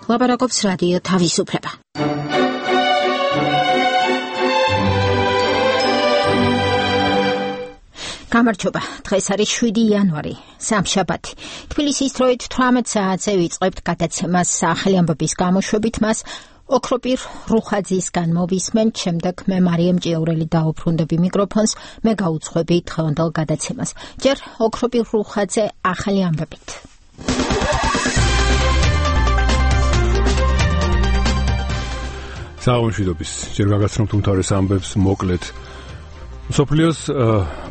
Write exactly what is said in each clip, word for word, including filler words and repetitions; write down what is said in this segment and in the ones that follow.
ლაპარაკობს რადიო თავისუფლება. გამარჯობა, დღეს არის შვიდი იანვარი, სამშაბათი. თბილისის დროით თვრამეტ საათზე ვიწყებთ გადაცემას ახალი ამბების გამოშვებით, მას ოქროპირ რუხაძისგან მოვისმენთ, შემდეგ მე მარიამ ჭიაურელი დაუბრუნდები მიკროფონს, მე გაუძღვები დღევანდელ გადაცემას. ჯერ ოქროპირ რუხაძე ახალი ამბებით. საუბრობთ, ჯერ გაგაცნობთ უმთავრეს ამბებს მოკლედ. მსოფლიოს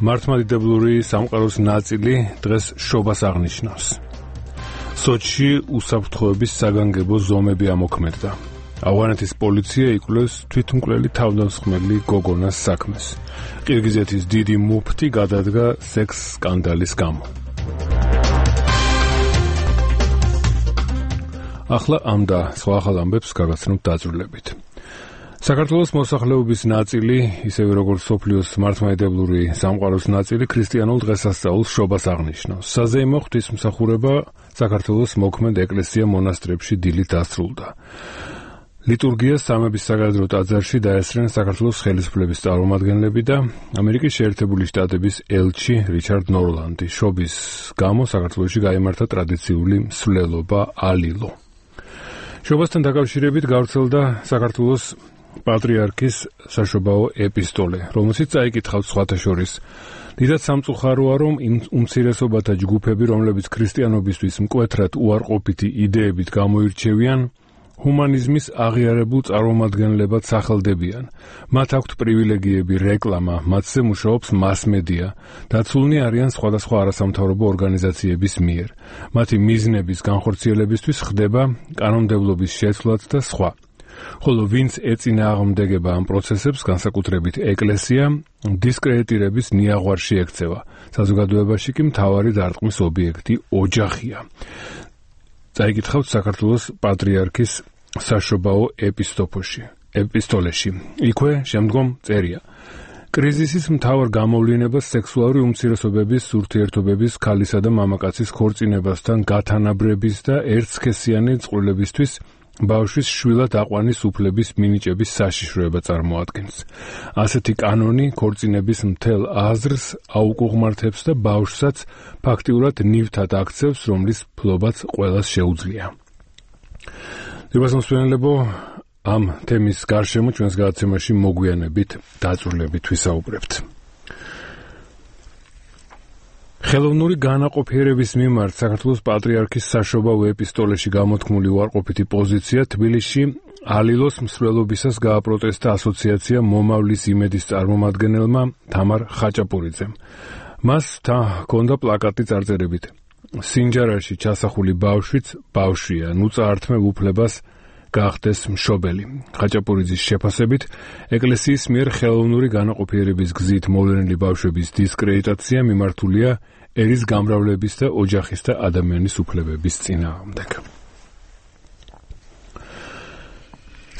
მართლმადიდებლური სამყაროს ნაწილი დღეს შობას აღნიშნავს. სოჩში უსაფრთხოების საგანგებო ზომები ამოქმედდა. ავღანეთის პოლიცია იკვლევს თვითმკვლელი თავდამსხმელი გოგონას საქმეს. ყირგიზეთის დიდი მუფტი გადადგა სექს სკანდალის გამო. ახლა ამ და სხვა ახალ ამბებს გაგაცნობთ დაწვრილებით. საქართველოს მოსახლეობის ნაწილი, ისევე როგორც სოფლიოს მართლმადიდებლური სამყაროს ნაწილი, ქრისტიანულ დღესასწაულს შობას აღნიშნავს. საზეიმო ღვთისმსახურება საქართველოს მოქმედ ეკლესია-მონასტრებში დილით დასრულდა. ლიტურგიას სამების საგარეძრო ტაძარში დაესწრნენ საქართველოს ხელისუფლების წარმომადგენლები და ამერიკის შეერთებული შტატების ელჩი რიჩარდ ნორლანდი. შობის გამო საქართველოში გაიმართა ტრადიციული მსვლელობა ალილო. შობასთან დაკავშირებით გავრცელდა საქართველოს პატრიარქის საშობაო ეპისტოლე, რომელშიც წაიკითხავთ სხვათა შორის. დიდად სამწუხაროა, რომ იმ უმცირესობათა ჯგუფები, რომლებიც ქრისტიანობისთვის მკვეთრად უარყოფითი იდეებით გამოირჩევიან, ჰუმანიზმის აღიარებულ წარმომადგენლებად სახელდებიან. მათ აქვთ პრივილეგიები, რეკლამა, მათზე მუშაობს მასმედია, დაცულნი არიან სხვადასხვა არასამთავრობო ორგანიზაციების მიერ. მათი მიზნების განხორციელებისთვის ხდება კანონმდებლობის შეცვლაც და სხვა. ხოლო ვინც ეწინააღმდეგება ამ პროცესებს, განსაკუთრებით ეკლესია, დისკრედიტირების ნიაღვარში ექცევა. საზოგადოებაში კი მთავარი დარტყმის ობიექტი ოჯახია. წაიკითხავთ საქართველოს პატრიარქის საშობაო ეპისტოფოში, ეპისტოლეში. იქვე შემდგომ წერია. კრიზისის მთავარ გამოვლინებას სექსუალური უმცირესობების ურთიერთობების ქალისა და მამაკაცის ქორწინებასთან გათანაბრების და ერთსქესიანი წყვილებისთვის ბავშვის შვილად აყვანის უფლების მინიჭების საშიშროება წარმოადგენს. ასეთი კანონი ქორწინების მთელ აზრს აუკუღმართებს და ბავშვსაც ფაქტიურად ნივთად აქცევს, რომლის ფლობაც ყველას შეუძლია. დიებას მოსვენებო ამ თემის გარშემო ჩვენს გადაცემაში მოგვიანებით დაწვრილებით ვისაუბრებთ. ხელოვნური განაყოფიერების მიმართ საქართველოს პატრიარქის საშობაო ეპისტოლეში გამოთქმული უარყოფითი პოზიცია თბილისში ალილოს მსვლელობისას გააპროტესტა ასოციაცია მომავლის იმედის წარმომადგენელმა თამარ ხაჭაპურიძემ. მას ჰქონდა პლაკატი წარწერებით: სინჯარაში ჩასახული ბავშვიც ბავშვია, ნუ წაართმევ უფლებას გახდეს მშობელი. ხაჭაპურიძის შეფასებით, ეკლესიის მიერ ხელოვნური განაყოფიერების გზით მოვლენილი ბავშვების დისკრედიტაცია მიმართულია ერის გამრავლების და ოჯახის და ადამიანის უფლებების წინააღმდეგ.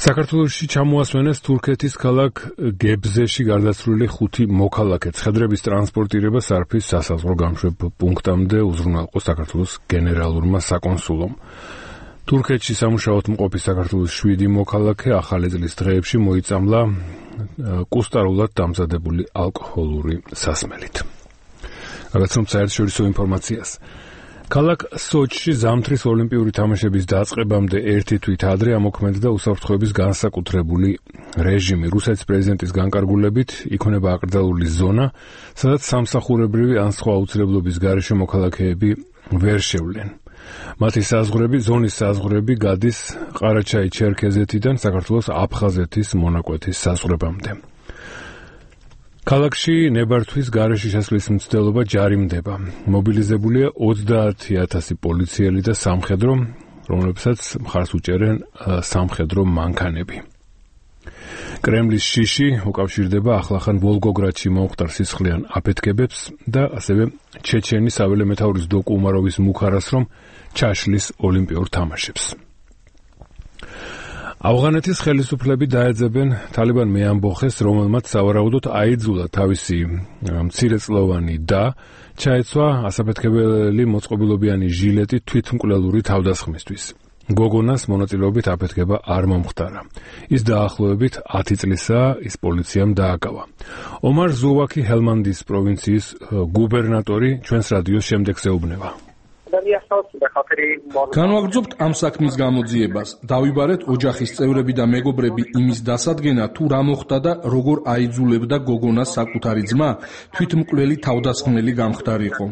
საქართველოში ჩამოასვენეს თურქეთის ქალაქ გებზეში გარდაცვლილი ხუთი მოქალაქე. ცხადრების ტრანსპორტირება სარფის სასაზღვრო გამშვებ პუნქტამდე უზრუნველყო საქართველოს გენერალურმა საკონსულომ. თურქეთში სამუშაოდ მყოფი საქართველოს შვიდი მოქალაქე ახალი წლის დღეებში მოიწამლა კუსტარულად დამზადებული ალკოჰოლური სასმელით. გაგაცნობთ საერთაშორისო ინფორმაციას. ქალაქ სოჩში ზამთრის ოლიმპიური თამაშების დაწყებამდე ერთი თვით ადრე ამოქმედდა უსაფრთხოების განსაკუთრებული რეჟიმი. რუსეთის პრეზიდენტის განკარგულებით იქნება აკრძალული ზონა, სადაც სამსახურებრივი ან სხვა აუცილებლობის გარეშე მოქალაქეები ვერ შევლენ. მათი საზღვრები, ზონის საზღვრები გადის ყარაჩაი-ჩერქეზეთიდან საქართველოს აფხაზეთის მონაკვეთის საზღვრებამდე. ქალაქში ნებართვის გარეშე შესვლის მცდელობა ჯარიმდება. მობილიზებულია ოცდაათი ათასი პოლიციელი და სამხედრო, რომლებსაც მხარს უჭერენ სამხედრო მანქანები. კრემლის შიში უკავშირდება ახლახან ვოლგოგრადში მომხდარ სისხლიან აფეთქებებს და ასევე ჩეჩენის საველე მეთაურის დოკუ უმაროვის მუხარას, რომ ჩაშლის ოლიმპიურ თამაშებს. ავღანეთის ხელისუფლები დაეძებენ თალიბან მეამბოხეს, რომელმაც სავარაუდოდ აიძულა თავისი მცირეწლოვანი და ჩაეცვა ასაფეთქებელი მოწყობილობიანი ჟილეტი თვითმკვლელური თავდასხმისთვის. გოგონას მონაწილეობით აფეთქება არ მომხდარა. ის დაახლოებით ათი წლისაა, ის პოლიციამ დააკავა. ომარ ზუვაკი ჰელმანდის პროვინციის გუბერნატორი ჩვენს რადიოს შემდეგ ეუბნება. განვაგრძობთ ამ საქმის გამოძიებას. დავიბარეთ ოჯახის წევრები და მეგობრები იმის დასადგენად, თუ რა მოხდა და როგორ აიძულებდა გოგონას საკუთარი ძმა თვითმკვლელი თავდასხმელი გამხდარიყო.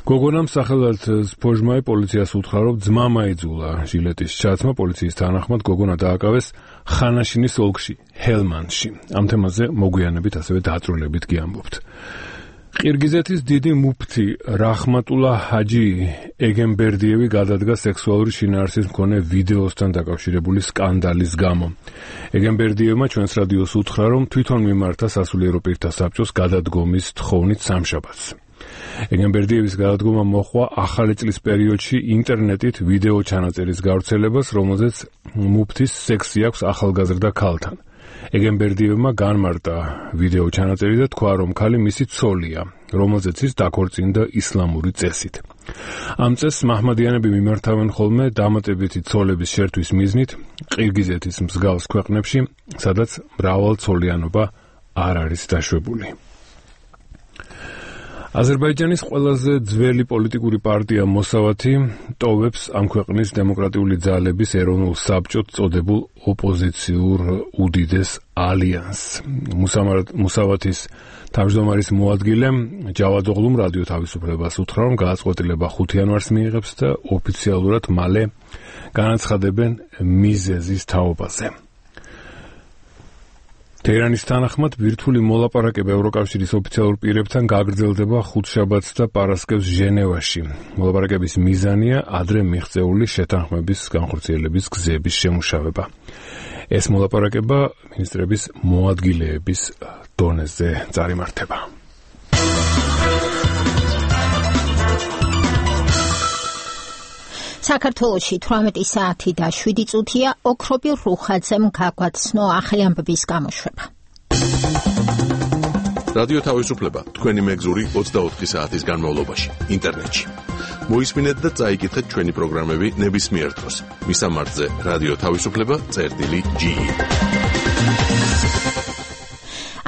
გოგონამ სახელად სპოჟმაი პოლიციას უთხრა, რომ ძმამ აიძულა ჟილეტის ჩაცმა. პოლიციის თანახმად გოგონა დააკავეს ხანაშინის ოლქში, ჰელმანდში. ამ თემაზე მოგვიანებით ასევე დაწვრილებით გიამბობთ. ყირგიზეთის დიდი მუფთი რაჰმატულა ჰაჯი ეგენბერდიევი გადადგა სექსუალური შინაარსის მქონე ვიდეოსთან დაკავშირებული სკანდალის გამო. ეგენბერდიევმა ჩვენს რადიოს უთხრა, რომ თვითონ მიმართა სასულიერო პირთა საბჭოს გადადგომის თხოვნით სამშაბათს. ეგენბერდიევის გადადგომა მოჰყვა ახალი წლის პერიოდში ინტერნეტით ვიდეო ჩანაწერის გავრცელებას, რომელზეც მუფთის სექსი აქვს ახალგაზრდა ქალთან. ეგენბერდიევმა განმარტა ვიდეო ჩანაწერი და თქვა, რომ ქალი მისი ცოლია, რომელზეც ის დაქორწინდა ისლამური წესით. ამ წესს მაჰმადიანები მიმართავენ ხოლმე დამატებითი ცოლების შერთვის მიზნით ყირგიზეთის მსგავს ქვეყნებში, სადაც მრავალცოლიანობა არ არის დაშვებული. აზერბაიჯანის ყველაზე ძველი პოლიტიკური პარტია მოსავათი ტოვებს ამ ქვეყნის დემოკრატიული ძალების ეროვნულ საბჭოს წოდებულ ოპოზიციურ უდიდეს ალიანსს. მოსავათის თავმჯდომარის მოადგილე ჯავად ოღლუმ რადიო თავისუფლებას უთხრა, რომ გადაწყვეტილება ხუთი იანვარს მიიღებს და ოფიციალურად მალე განაცხადებენ მიზეზის თაობაზე. თეირანის თანახმად ბირთვული მოლაპარაკება ევროკავშირის ოფიციალურ პირებთან გაგრძელდება ხუთშაბათს და პარასკევს ჟენევაში. მოლაპარაკების მიზანია ადრე მიღწეული შეთანხმების განხორციელების გზების შემუშავება. ეს მოლაპარაკება მინისტრების მოადგილეების დონეზე წარიმართება. საქართველოში თვრამეტი საათი და შვიდი წუთია ოქრობირ რუხაძემ გაგვაცნო ახლი ამბების გამოშვება. რადიო თავისუფლება თქვენი მეგზური ოცდაოთხი საათის განმავლობაში ინტერნეტში. მოისმინეთ და წაიკითხეთ ჩვენი პროგრამები ნებისმიერ დროს. მისამართზე რადიო თავისუფლება წერტილი ჯი.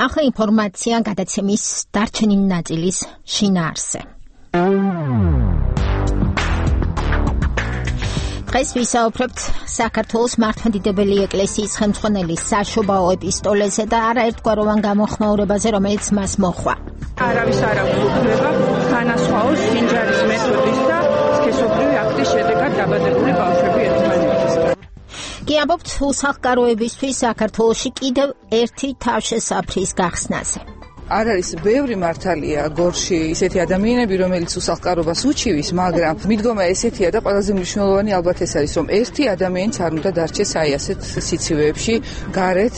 ახლა ინფორმაცია გადაცემის დარჩენილი ნაწილის შინაარსზე. დღეს ვისაუბრებთ საქართველოს მართლმადიდებელი ეკლესიის ხელმძღვანელის საშობაო ეპისტოლეზე და არაერთგვაროვან გამოხმაურებაზე, რომელიც მას მოჰყვა. არავის არ აქვს უფლება განასხვაოს სინჯარის მეთოდის და სქესობრივი აქტის შედეგად დაბადებული ბავშვები ერთმანეთისგან. კი ამბობთ უსახლკაროებისთვის საქართველოში კიდევ ერთი თავშესაფრის გახსნაზე. არ არის ბევრი მართალია გორში ისეთი ადამიანები, რომელიც უსახლკარობას უჩივის, მაგრამ მიდგომა ესეთია და ყველაზე მნიშვნელოვანი ალბათ ეს არის, რომ ერთი ადამიანიც არ უნდა დარჩეს აი ასეთ სიცივეებში გარეთ.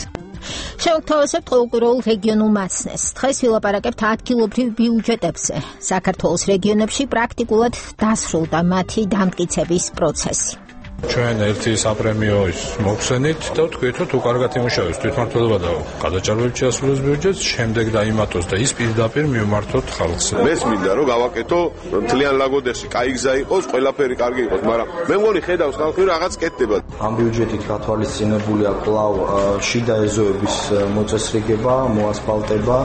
შევთავაზებთ ყოველკვირეულ რეგიონულ მაცნეს. დღეს ვილაპარაკებთ ადგილობრივ ბიუჯეტებზე. საქართველოს რეგიონებში პრაქტიკულად დასრულდა მათი დამტკიცების პროცესი. ჩვენ ერთი საპრემიო მოგვხსენით და ვთქვით, რომ თუ კარგად იმუშავებს თვითმმართველობა და გადაჭარბებით შეასრულოს ბიუჯეტს, შემდეგ დაიმატოს და ის პირდაპირ მივმართოთ ხალხს. მეს მინდა რომ გავაკეთო მთლიან ლაგოდეხში კაი გზა იყოს, ყველაფერი კარგი იყოს, მაგრამ მე მგონი ხედავს ხალხი რაღაც კეთდება. ამ ბიუჯეტით გათვალისწინებულია კვლავ შიდა ეზოების მოწესრიგება, მოასფალტება.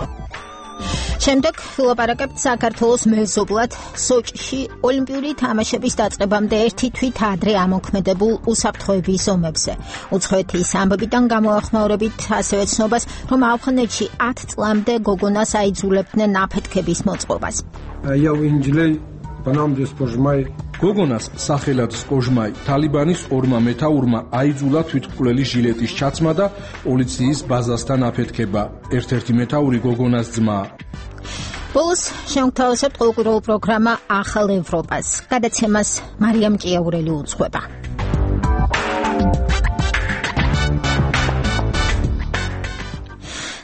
შემდეგ ვილაპარაკებთ საქართველოს მეზობლად სოჭში ოლიმპიური თამაშების დაწყებამდე ერთი თვით ადრე ამოქმედებულ უსაფრთხოების ზომებზე. უცხოეთის ამბებიდან გამოახმაურებით ასევე ცნობას, რომ ავღანეთში ათ წლამდე გოგონას აიძულებდნენ აფეთქების მოწყობას. გოგონას სახელად სპოჟმაი თალიბანის ორმა მეთაურმა აიძულა თვითმკვლელი ჟილეტის ჩაცმა და პოლიციის ბაზასთან აფეთქება. ერთ-ერთი მეთაური გოგონას ძმაა. ბოლოს შევთავაზებთ ყოველკვირეულ პროგრამა ახალ ევროპას. გადაცემას მარიამ ჭიაურელი უძღვება.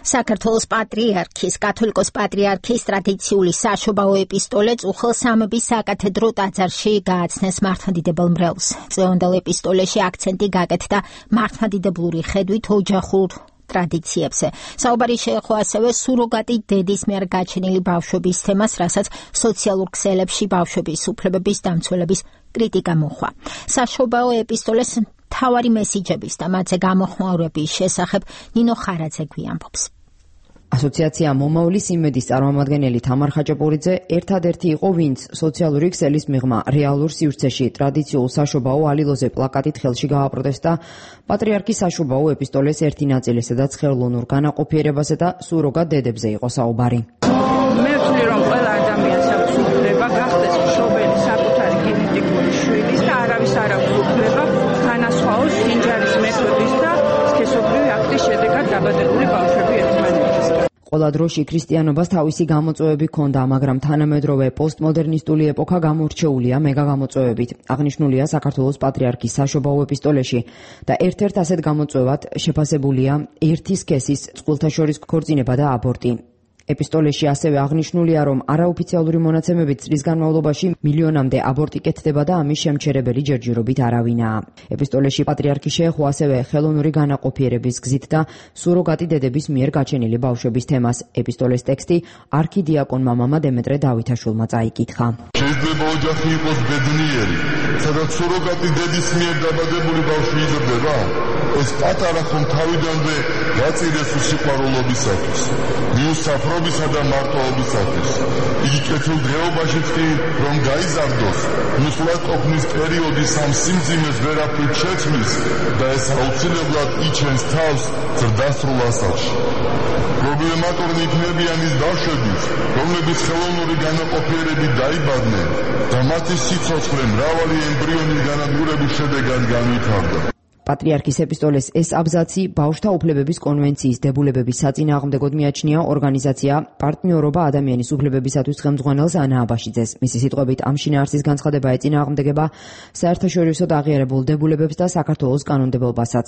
საქართველოს პატრიარქის, კათოლიკოს პატრიარქის ტრადიციული საშობაო ეპისტოლე წუხელსამების საკათედრო ტაძარში გააცნეს მართლმადიდებელ მრევლს. წლევანდელ ეპისტოლეში აქცენტი გაკეთდა მართლმადიდებლური ხედვით ოჯახურ ტრადიციებზე. საუბარი შეეხო ასევე სუროგატი დედის მიერ გაჩენილი ბავშვების თემას, რასაც სოციალურ ქსელებში ბავშვების უფლებების დამცველების კრიტიკა მოჰყვა. საშობაო ეპისტოლეს მთავარი მესიჯების და მათზე გამოხმაურების შესახებ ნინო ხარაძე გვიამბობს. ასოციაცია მომავლის იმედის წარმომადგენელი თამარ ხაჭაპურიძე ერთადერთი იყო, ვინც სოციალური ქსელის მიღმა რეალურ სივრცეში ტრადიციულ საშობაო ალილოზე პლაკატით ხელში გააპროტესტა პატრიარქის საშობაო ეპისტოლეს ერთი ნაწილი, სადაც ხელოვნურ განაყოფიერებაზე და სუროგატ დედებზე იყო საუბარი. მე ვთვლი, რომ ყველა ადამიანს აქვს უფლება გახდეს მშობელი საკუთარი გენეტიკური შვილის და არავის არ აქვს უფლება განასხვაოს სინჯარის მეთოდის და სქესობრივი აქტის შედეგად დაბადებული ბავშვები ერთმანეთისგან. ყველა დროში ქრისტიანობას თავისი გამოწვევები ჰქონდა, მაგრამ თანამედროვე პოსტმოდერნისტული ეპოქა გამორჩეულია მეგაგამოწვევებით. აღნიშნულია საქართველოს პატრიარქის საშობაო ეპისტოლეში და ერთ-ერთ ასეთ გამოწვევად შეფასებულია ერთი სქესის წყვილთა შორის ქორწინება და აბორტი. ეპისტოლეში ასევე აღნიშნულია, რომ არაოფიციალური მონაცემებით წლის განმავლობაში მილიონამდე აბორტი კეთდება და ამის შემჩერებელი ჯერჯერობით არავინაა. ეპისტოლეში პატრიარქი შეეხო ასევე ხელოვნური განაყოფიერების გზით და სუროგატი დედების მიერ გაჩენილი ბავშვების თემას. ეპისტოლეს ტექსტი არქიდიაკონმა მამა დემეტრე დავითაშვილმა წაიკითხა. შეიძლება ოჯახი იყოს ბედნიერი, სადაც სუროგატი დედის მიერ დაბადებული ბავშვი იზრდება? ეს პატარა ხომ თავიდანვე გაწირეს სიყვარულობისათვის, მიუსაფრობისა და მარტოობისათვის. იგი კეთილ დღეობაშიც კი რომ გაიზარდოს, ნუსლად ყოფნის პერიოდის ამ სიმძიმეს ვერაფრით შეცვლის და ეს აუცილებლად იჩენს თავს ზრდასრულ ასაკში. პრობლემატურნი იქნებიან ის ბავშვებიც, რომლებიც ხელოვნური განაყოფიერებით დაიბადნენ და მათი სიცოცხლე მრავალი ემბრიონის განადგურების შედეგად განვითარდა. პატრიარქის ეპისტოლეს ეს აბზაცი ბავშვთა უფლებების კონვენციის დებულებების საწინააღმდეგოდ მიაჩნია ორგანიზაცია პარტნიორობა ადამიანის უფლებებისათვის ხელმძღვანელს ანა აბაშიძეს. მისი სიტყვებით, ამ შინაარსის განცხადება ეწინააღმდეგება საერთაშორისო აღიარებულ დებულებებს და საქართველოს კანონმდებლობასაც.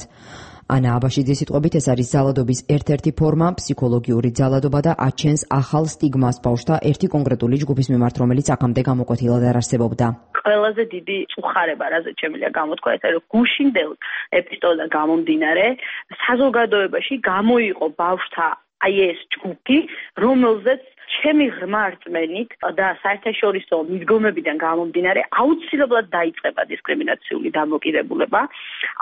ანა აბაშიძის სიტყვებით, ეს არის ძალადობის ერთ-ერთი ფორმა, ფსიქოლოგიური ძალადობა და აჩენს ახალ სტიგმას ბავშვთა ერთი კონკრეტული ჯგუფის მიმართ, რომელიც აქამდე გამოკვეთილად არ არსებობდა. ყველაზე დიდი წუხარება, რაზეც შემიძლია გამოთქვა, ეს არის, რომ გუშინდელ ეპისტოლიდან გამომდინარე, საზოგადოებაში გამოიყო ბავშვთა აი ეს ჯგუფი, რომელზეც ჩემი ღრმა რწმენით და საერთაშორისო მიდგომებიდან გამომდინარე აუცილებლად დაიწყება დისკრიმინაციული დამოკიდებულება,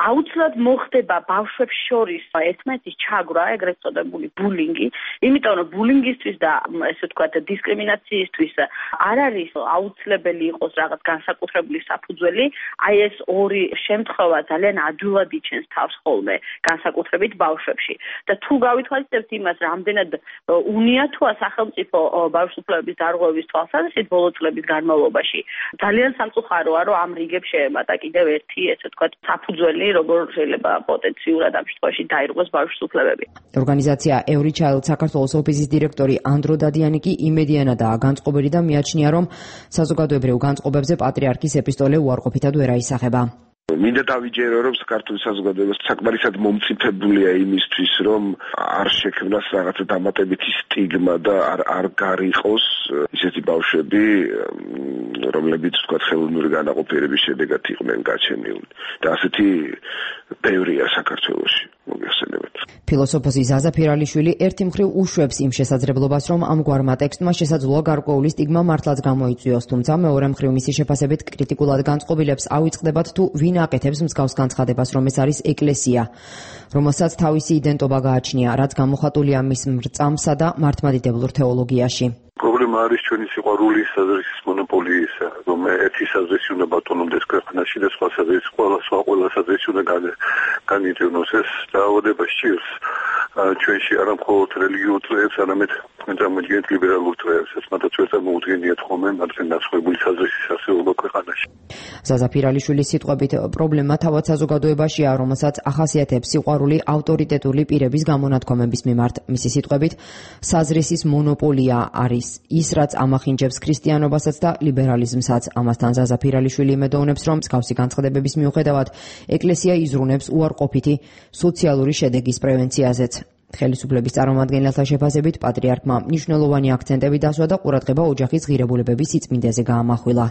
აუცილებლად მოხდება ბავშვებს შორის ერთმანეთის ჩაგვრა, ეგრეთ წოდებული ბულინგი, იმიტომ რომ ბულინგისთვის და ესე ვთქვათ დისკრიმინაციისთვის არ არის აუცილებელი იყოს რაღაც განსაკუთრებული საფუძველი, აი ეს ორი შემთხვევა ძალიან ადვილად იჩენს თავს ხოლმე განსაკუთრებით ბავშვებში. და თუ გავითვალისწინებთ იმას, რამდენად უნია თუ სახელმწიფო ბავშვთა უფლებების დარღვევის თვალსაზრისით ბოლო წლების განმავლობაში ძალიან სამწუხაროა, რომ ამ რიგებს შეემატა კიდევ ერთი, ესე ვთქვათ, საფუძველი, როგორ შეიძლება პოტენციურად ამ შემთხვევაში დაირღვეს ბავშვთა უფლებები. ორგანიზაცია Every Child საქართველოს ოფისის დირექტორი ანდრო დადიანი კი იმედიანადაა განწყობილი და მიაჩნია, რომ საზოგადოებრივ განწყობებზე პატრიარქის ეპისტოლე უარყოფითად ვერ აისახება. მინდა დავიჯერო, რომ საქართველოს საზოგადოება საკმარისად მომწიფებულია იმისთვის, რომ არ შექმნას რაღაცა დამატებითი სტიგმა და არ არ გარიყოს ისეთი ბავშვები, რომლებიც თქვა ხელოვნური განაყოფიერების შედეგად იყვნენ გაჩენილნი. და ასეთი ბევრია საქართველოში. მოგეხსენებათ. ფილოსოფოსი ზაზა ფირალიშვილი ერთი მხრივ უშვებს იმ შესაძლებლობას, რომ ამგვარმა ტექსტმა შესაძლოა გარკვეული სტიგმა მართლაც გამოიწვიოს, თუმცა მეორე მხრივ მისი შეფასებით კრიტიკულად განწყობილებს ავიწყდებათ თუ ვინ აკეთებს მსგავს განცხადებას, რომ ეს არის ეკლესია, რომელსაც თავისი იდენტობა გააჩნია, რაც გამოხატულია მის მრწამსა და მართლმადიდებლურ თეოლოგიაში. პრობლემა არის ჩვენი სიყვარულის საზრისის მონოპოლიისა, რომ ერთი საზრისი უნდა ბატონობდეს ქვეყანაში და სხვა საზრისი ყველა სხვა ყველა საზრისი უნდა განიწევნოს. ეს დაავადება სჭირს ჩვენში არა მხოლოდ რელიგიურ წრეებს, არამედ წარმოიდგენთ ლიბერალურ წრეებს, მათაც ვერ წარმოუდგენიათ ხოლმე მათგან დასხმებული საზრისის არსებობა ქვეყანაში. ზაზა ფირალიშვილის სიტყვებით, პრობლემა თავად საზოგადოებაშია, რომელსაც ახასიათებს სიყვარული ავტორიტეტული პირების გამონათქვამების მიმართ. მისი სიტყვებით, საზრისის მონოპოლია არის ის, რაც ამახინჯებს ქრისტიანობასაც და ლიბერალიზმსაც. ამასთან ზაზა ფირალიშვილი იმედოვნებს, რომ მსგავსი განცხადებების მიუხედავად ეკლესია იზრუნებს უარყოფითი სოციალური შედეგის პრევენციაზეც. ხელისუფლების წარმომადგენელთა შეფასებით პატრიარქმა მნიშვნელოვანი აქცენტები დასვა და ყურადღება ოჯახის ღირებულებების სიწმინდეზე გაამახვილა.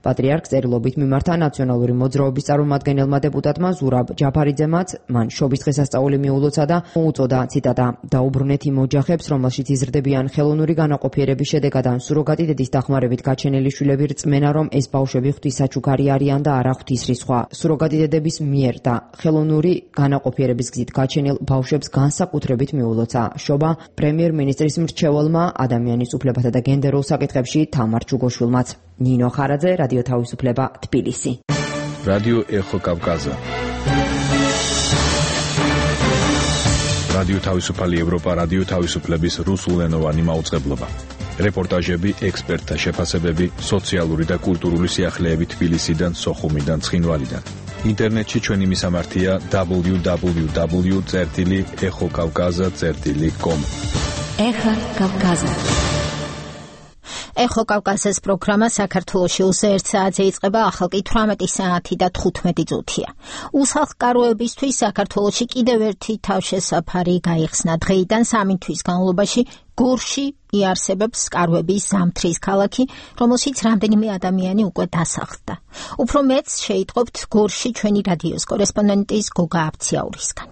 პატრიარქს წერილობით მიმართა ნაციონალური მოძრაობის წარმომადგენელმა დეპუტატმა ზურაბ ჯაფარიძემაც მან შობის დღესასწაული მიულოცა და უწოდა ციტატა „დაუბრუნეთ იმ ოჯახებს, რომელშიც იზრდებიან ხელოვნური განაყოფიერების შედეგად ან სუროგატი დედის დახმარებით გაჩენილი შვილები რწმენა, რომ ეს ბავშვები ღვთისაჩუქარი არიან და არა ღვთისრისხვა. სუროგატი დედების მიერ და ხელოვნური განაყოფიერების გზით გაჩენილ ბავშვებს განსაკუთრებით მიულოცა შობა პრემიერ-მინისტრის მრჩეველმა ადამიანის უფლებათა და გენდერულ საკითხებში თამარ ჩუგოშვილმაც. ნინო ხარაძე, რადიო თავისუფლება, თბილისი. რადიო ეხო კავკაზა. რადიო თავისუფალი ევროპა, რადიო თავისუფლების რუსულენოვანი მაუწყებლობა. რეპორტაჟები, ექსპერტთა შეფასებები, სოციალური და კულტურული სიახლეები თბილისიდან, სოხუმიდან, ცხინვალიდან. ინტერნეტში ჩვენი მისამართია დაბლიუ დაბლიუ დაბლიუ წერტილი ეხო კავკაზა წერტილი კომ. ეხო კავკაზა. ეხო კავკაზის პროგრამა საქართველოში ოცი ერთ საათზე იწყება, ახალ თვრამეტი საათი და თხუთმეტი წუთია. უსახლკაროებისთვის საქართველოში კიდევ ერთი თავშესაფარი გაიხსნა. დღეიდან სამი თვის განმავლობაში გორში იარსებებს სკარვების ზამთრის ქალაქი, რომელშიც რამდენიმე ადამიანი უკვე დასახლდა. უფრო მეც შეიტყობთ გორში ჩვენი რადიოს კორესპონდენტის გოგა აფციაურისგან.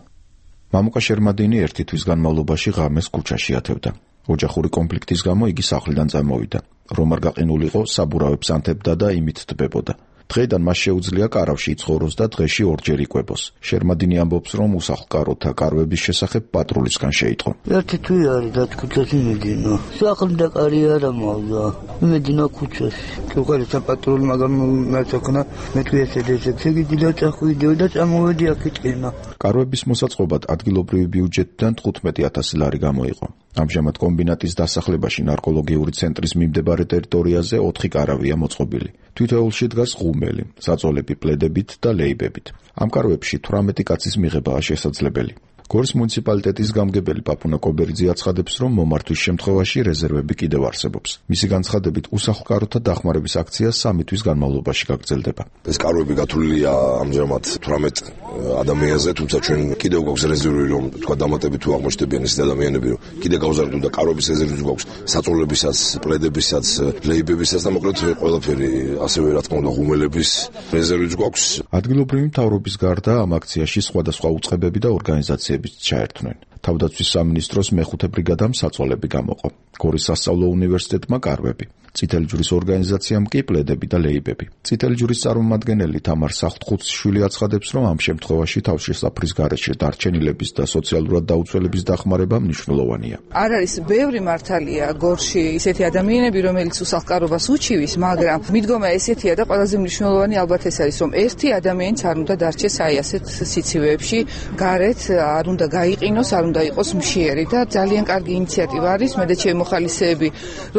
მამუკა შერმადინი ერთი თვის განმავლობაში ღამეს ქუჩაში ათევდა. ოჯახური კონფლიქტის გამო იგი სახლიდან წამოვიდა. რომ არ გაყინულიყო, საბურავებს ანთებდა და იმით თბებოდა. დღეიდან მას შეუძლია კარავში იცხოვროს და დღეში ორჯერ იკვებოს. შერმადინი ამბობს, რომ უსახლკაროთა კარვების შესახებ პატრულისგან შეიტყო. ერთი თვე არის და ქუჩაში მიდინა. სახლი კარი არ ამავდა. მიდინა ქუჩაში. უყურეთ პატრული, მაგრამ მეთქნა მე თუ ესე დეცექსი გიდილა წახვიდეო და წამოვედი აქეთკენა. კარვების მოსაწყობად ადგილობრივი ბიუჯეტიდან თხუთმეტი ათასი ლარი გამოიყო. ამჟამად კომბინატის დასახლებაში ნარკოლოგიური ცენტრის მიმდებარე ტერიტორიაზე ოთხი კარავია მოწყობილი. თითოეულში დგას ღუმელი, საწოლები პლედებით და ლეიბებით. ამ კარვებში თვრამეტი კაცის მიღებაა შესაძლებელი. გორის მუნიციპალიტეტის გამგებელი პაპუნა კობერიძე აცხადებს, რომ მომართვის შემთხვევაში რეზერვები კიდევ არსებობს. მისი განცხადებით, უსახლკაროთა დახმარების აქცია სამი თვის განმავლობაში გაგრძელდება. ეს კარვები გათვლილია ამჟამად თვრამეტ ადამიანზე, თუმცა ჩვენ კიდევ გვაქვს რეზერვი, რომ თქვა დამატებით თუ აღმოჩნდებიან ეს ადამიანები, რომ კიდე გავზარდოთ და კარვების რეზერვიც გვაქვს საწოლებისაც, პლედებისაც, ლეიბებისაც და მოკლედ ყველაფერი, ასევე რა თქმა უნდა ღუმელების რეზერვიც გვაქვს. ადგილობრივი მთავრობის გარდა ამ აქციაში სხვადასხვა უწყებები და ორგანიზაციები ჩაერთვნენ. თავდაცვის სამინისტროს მეხუთე ბრიგადამ საწოლები გამოყო. გორის სასწავლო უნივერსიტეტმა კარვები. წითელი ჯვრის ორგანიზაციამ კი პლედები და ლეიბები. წითელი ჯვრის წარმომადგენელი თამარ სახტხუცშვილი აცხადებს, რომ ამ შემთხვევაში თავშესაფრის გარეშე დარჩენილების და სოციალურად დაუცველების დახმარება მნიშვნელოვანია. არ არის ბევრი მართალია გორში ისეთი ადამიანები, რომელიც უსახლკარობას უჩივის, მაგრამ მიდგომა ესეთია და ყველაზე მნიშვნელოვანი ალბათ ეს არის, რომ ერთი ადამიანიც არ უნდა დარჩეს აი ასეთ სიცივეებში, გარეთ არ უნდა გაიყინოს, არ უნდა იყოს მშიერი და ძალიან კარგი ინიციატივა არის. მე და ჩემი მოხალისეები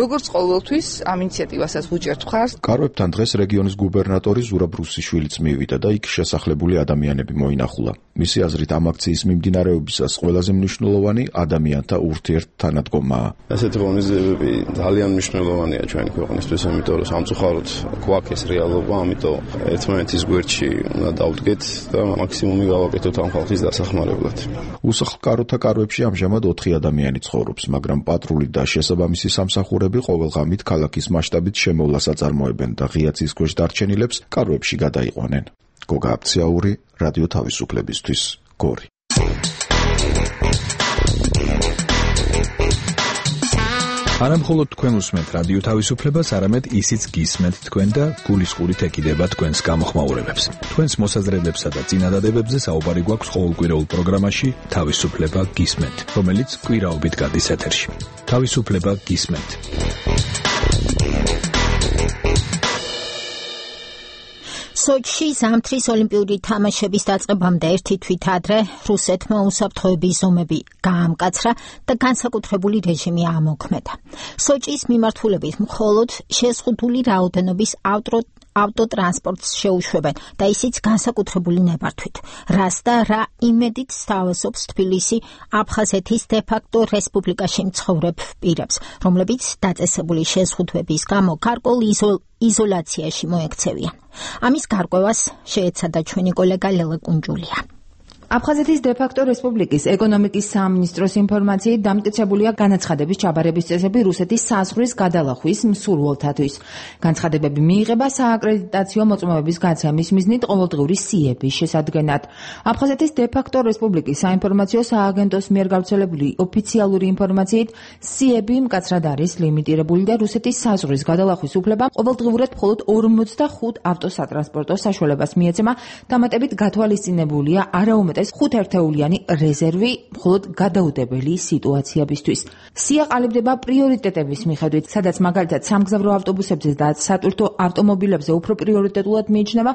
როგორც ყოველთვის ამ ინიციატივასაც ვუჭერთ მხარს. კარვებთან დღეს რეგიონის გუბერნატორი ზურაბ რუსიშვილიც მივიდა და იქ შესახლებული ადამიანები მოინახულა. მისი აზრით ამ აქციის მიმდინარეობისას ყველაზე მნიშვნელოვანი ადამიანთა ურთიერთთანადგომაა. ასეთი ღონისძიებები ძალიან მნიშვნელოვანია ჩვენი ქვეყნისთვის, იმიტომ რომ სამწუხაროდ გვაქვს ეს რეალობა, ამიტომ ერთმანეთის გვერდში უნდა დავდგეთ და მაქსიმუმი გავაკეთოთ ამ ხალხის დასახმარებლად. უსახლკაროთა კარვებში ამჟამად ოთხი ადამიანი ცხოვრობს, მაგრამ პატრული და შესაბამისი სამსახურები ყოველ ღამით ქალაქის მასშტაბით შემოვლას აწარმოებენ და ღია ცის ქვეშ დარჩენილებს კარვებში გადაიყვანენ. გოგა აფციაური, რადიო თავისუფლებისთვის, გორი. არამხოლოდ თქვენ უსმენთ რადიო თავისუფლებას, არამედ ისიც გისმენთ თქვენ და გულისყურით ეკიდება თქვენს გამოხმაურებებს. თქვენს მოსაზრებებსა და წინადადებებზე საუბარი გვაქვს ყოველკვირეულ პროგრამაში თავისუფლება გისმენთ, რომელიც კვირაობით გადის ეთერში. თავისუფლება გისმენთ. სოჩში ზამთრის ოლიმპიური თამაშების დაწყებამდე ერთი თვით ადრე რუსეთმა უსაფრთხოების ზომები გაამკაცრა და განსაკუთრებული რეჟიმი ამოქმედა. სოჭის მიმართულებით მხოლოდ შეზღუდული რაოდენობის ავტო ავტოტრანსპორტს შეუშვებენ და ისიც განსაკუთრებული ნებართვით. რას და რა იმედით სთავაზობს თბილისი აფხაზეთის დე-ფაქტო რესპუბლიკაში მცხოვრებ პირებს, რომლებიც დაწესებული შეზღუდვების გამო გარკვეულ იზოლაციაში მოექცევიან. ამის გარკვევას შეეცადა ჩვენი კოლეგა ლელა კუნჯულია. აფხაზეთის დე-ფაქტო რესპუბლიკის ეკონომიკის სამინისტროს ინფორმაციით დამტკიცებულია განაცხადების ჩაბარების წესები რუსეთის საზღვრის გადალახვის მსურველთათვის. განცხადებები მიიღება სააკრედიტაციო მოწმობების გაცემის მიზნით ყოველდღიური სიების შესადგენად. აფხაზეთის დე-ფაქტო რესპუბლიკის საინფორმაციო სააგენტოს მიერ გავრცელებული ოფიციალური ინფორმაციით სიები მკაცრად არის ლიმიტირებული და რუსეთის საზღვრის გადალახვის უფლება ყოველდღიურად მხოლოდ ორმოცდახუთ ავტოსატრანსპორტო საშუალებას მიეცემა, დამატებით გათვალისწინებულია არაუმეტეს ხუთ ერთეულიანი რეზერვი მხოლოდ გადაუდებელი სიტუაციებისთვის. სია ყალიბდება პრიორიტეტების მიხედვით, სადაც მაგალითად სამგზავრო ავტობუსებზე და სატვირთო ავტომობილებზე უფრო პრიორიტეტულად მიიჩნევა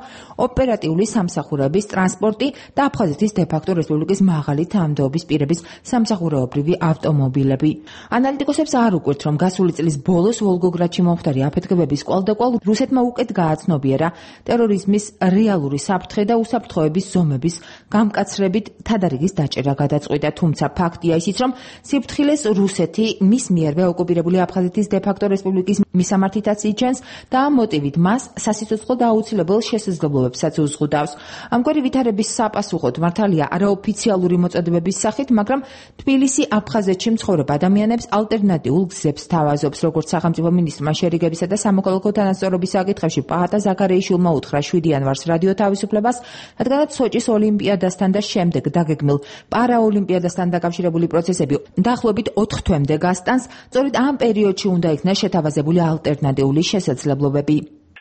ოპერატიული სამსახურების ტრანსპორტი და აფხაზეთის დე-ფაქტო რესპუბლიკის მაღალი თანამდებობის პირების სამსახურეობრივი ავტომობილები. ანალიტიკოსებს არ უკვირთ, რომ გასული წლის ბოლოს ვოლგოგრადში მომხდარი აფეთქებების კვალდაკვალ რუსეთმა უკეთ გააცნობიერა ტერორიზმის რეალური საფრთხე და უსაფრთხოების ზომების გამკაცრებით თადარიგის დაჭერა გადაწყვიტა, თუმცა ფაქტია ისიც, რომ სიფრთხილეს რუსეთი მის მიერვე ოკუპირებული აფხაზეთის დე-ფაქტო რესპუბლიკის მისამართითაც იჩენს და ამ მოტივით მას სასიცოცხლო და აუცილებელ შესაძლებლობებსაც უზღუდავს. ამგვარი ვითარების საპასუხოდ მართალია არაოფიციალური მოწოდებების სახით, მაგრამ თბილისი აფხაზეთში მცხოვრებ ადამიანებს ალტერნატიულ გზებს თავაზობს, როგორც სახელმწიფო მინისტრმა შერიგებისა და სამოქალაქო თანასწორობის საკითხებში პაატა ზაქარეიშვილმა უთხრა შვიდი იანვარს რადიო თავისუფლებას, რადგანაც სოჭის ოლიმპიადასთან და შემდეგ დაგეგმილ პარაოლიმპიადასთან დაკავშირებული პროცესები დაახლოებით ოთხ თვემდე გასტანს, სწორედ ამ პერიოდში უნდა იქნას შეთავაზებული ალტერნატიული შესაძლებლობები.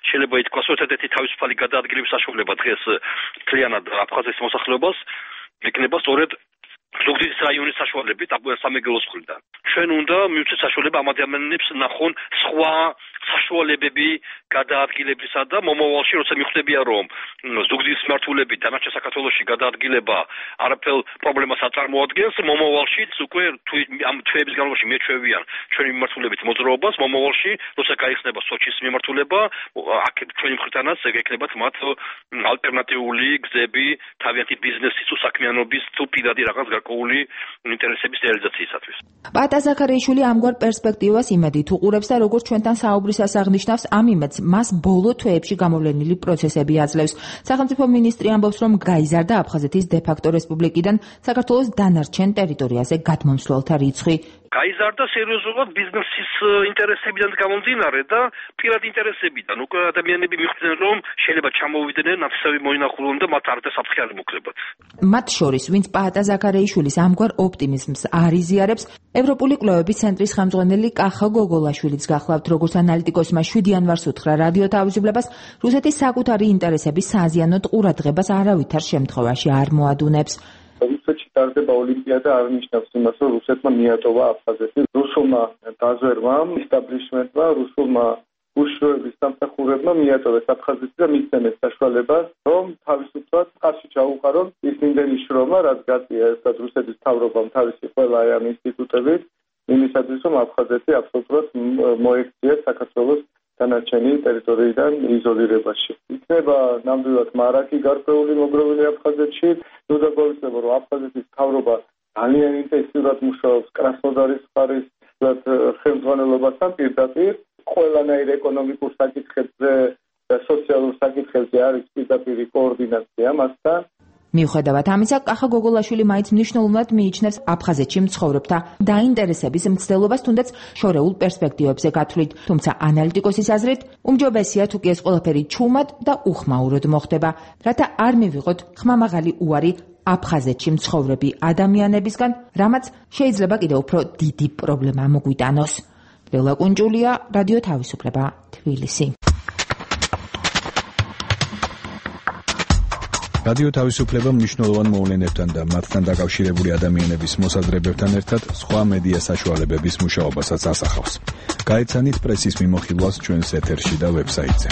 შეიძლება ითქვას, რომ ერთ-ერთი თავისუფალი გადაადგილების საშუალება დღეს მთლიანად აფხაზეთის მოსახლეობას ეკნება სწორედ ზუგდიდის რაიონის საშუალებით სამეგრელოს მხრიდან. ჩვენ უნდა მივცეთ საშუალება ამ ადამიანებს ნახონ სხვა საშუალებები გადაადგილებისა და მომავალში როცა მიხვდებიან, რომ ზუგდიდის მმართველები დანარჩენ საქართველოში გადაადგილება არაფერ პრობლემას აწარმოადგენს, მომავალშიც უკვე ამ თვეების განმავლობაში მეჩვევიან ჩვენი მიმართულებით მოძრაობას, მომავალში როცა გაიხსნება სოჩის მიმართულება, აქ ჩვენი მხრიდანაც ეკნებათ მათ ალტერნატიული გზები თავიანთი ბიზნესის თუ საქმიანობის თუ პირადი რაღაც გარკვეული ინტერესების რეალიზაციისათვის. პაატა ზაქარეიშვილი ამგვარ პერსპექტივას იმედით უყურებს და როგორც ჩვენთან საუბრისას აღნიშნავს, ამ იმედს მას ბოლო თვეებში გამოვლენილი პროცესები აძლევს. სახელმწიფო მინისტრი ამბობს, რომ გაიზარდა აფხაზეთის დე-ფაქტო რესპუბლიკიდან საქართველოს დანარჩენ ტერიტორიაზე გადმომსვლელთა რიცხვი. გაიზარდა სერიოზულად ბიზნესის ინტერესებიდან გამომდინარე და პირადი ინტერესებიდან. უკვე ადამიანები მიხვდნენ, რომ შეიძლება ჩამოვიდნენ, ნაცისები მოინახულონ და მათ არ დასაფრთხე არ მოკლებათ. მათ შორის, ვინც პაატა ზაქარეიშვილის ამგვარ ოპტიმიზმს არ იზიარებს, ევროპული კვლევების ცენტრის ხელმძღვანელი კახა გოგოლაშვილიც გახლავთ, როგორც ანალიტიკოსმა შვიდი იანვარს უთხრა რადიო თავისუფლებას, რუსეთის საკუთარი ინტერესების საზიანოდ ყურადღებას არავითარ შემთხვევაში არ მოადუნებს. რუსეთში ტარდება ოლიმპიადა არ ნიშნავს იმას, რომ რუსეთმა მიატოვა აფხაზეთი. რუსულმა დაზვერვამ, ისტაბლიშმენტმა, რუსულმა უშუალოების სამსახურებმა მიატოვეს აფხაზეთი და მისცემეს საშუალებას, რომ თავისუფლად ხარში ჩაუყარონ ის იმდენი შრომა, რაც გაწია ერთად რუსეთის მთავრობამ თავისი ყველა ამ ინსტიტუტებით, იმისათვის, რომ აფხაზეთი აბსოლუტურად მოექციეს საქართველოს დანარჩენი ტერიტორიიდან იზოლირებაში. იქნება ნამდვილად მარაკი გარკვეული მოგროვილი აფხაზეთში, ნუ დაგვაუწყდება, რომ აფხაზეთის მთავრობა ძალიან ინტენსიურად მუშაობს კრასნოდარის მხარის ხელმძღვანელობასთან პირდაპირ. ყველანაირ ეკონომიკურ საკითხებზე და სოციალურ საკითხებზე არის პირდაპირი კოორდინაცია მასთან. მიუხედავად ამისა, კახა გოგოლაშვილი მაინც მნიშვნელოვნად მიიჩნევს აფხაზეთში მცხოვრებთა დაინტერესების მცდელობას, თუნდაც შორეულ პერსპექტივებზე გათვლით. თუმცა ანალიტიკოსის აზრით, უმჯობესია თუ კი ეს ყველაფერი ჩუმად და უხმაუროდ მოხდება, რათა არ მივიღოთ ხმამაღალი უარი აფხაზეთში მცხოვრები ადამიანებისგან, რამაც შეიძლება კიდევ უფრო დიდი პრობლემა მოგვიტანოს. ლელა კუნჯულია, რადიო თავისუფლება, თბილისი. რადიო თავისუფლება მნიშვნელოვან მოვლენებთან და მათთან დაკავშირებული ადამიანების მოსაზრებებთან ერთად სხვა მედია საშუალებების მუშაობასაც ასახავს. გაეცანით პრესის მიმოხილვას ჩვენს ეთერში და ვებსაიტზე.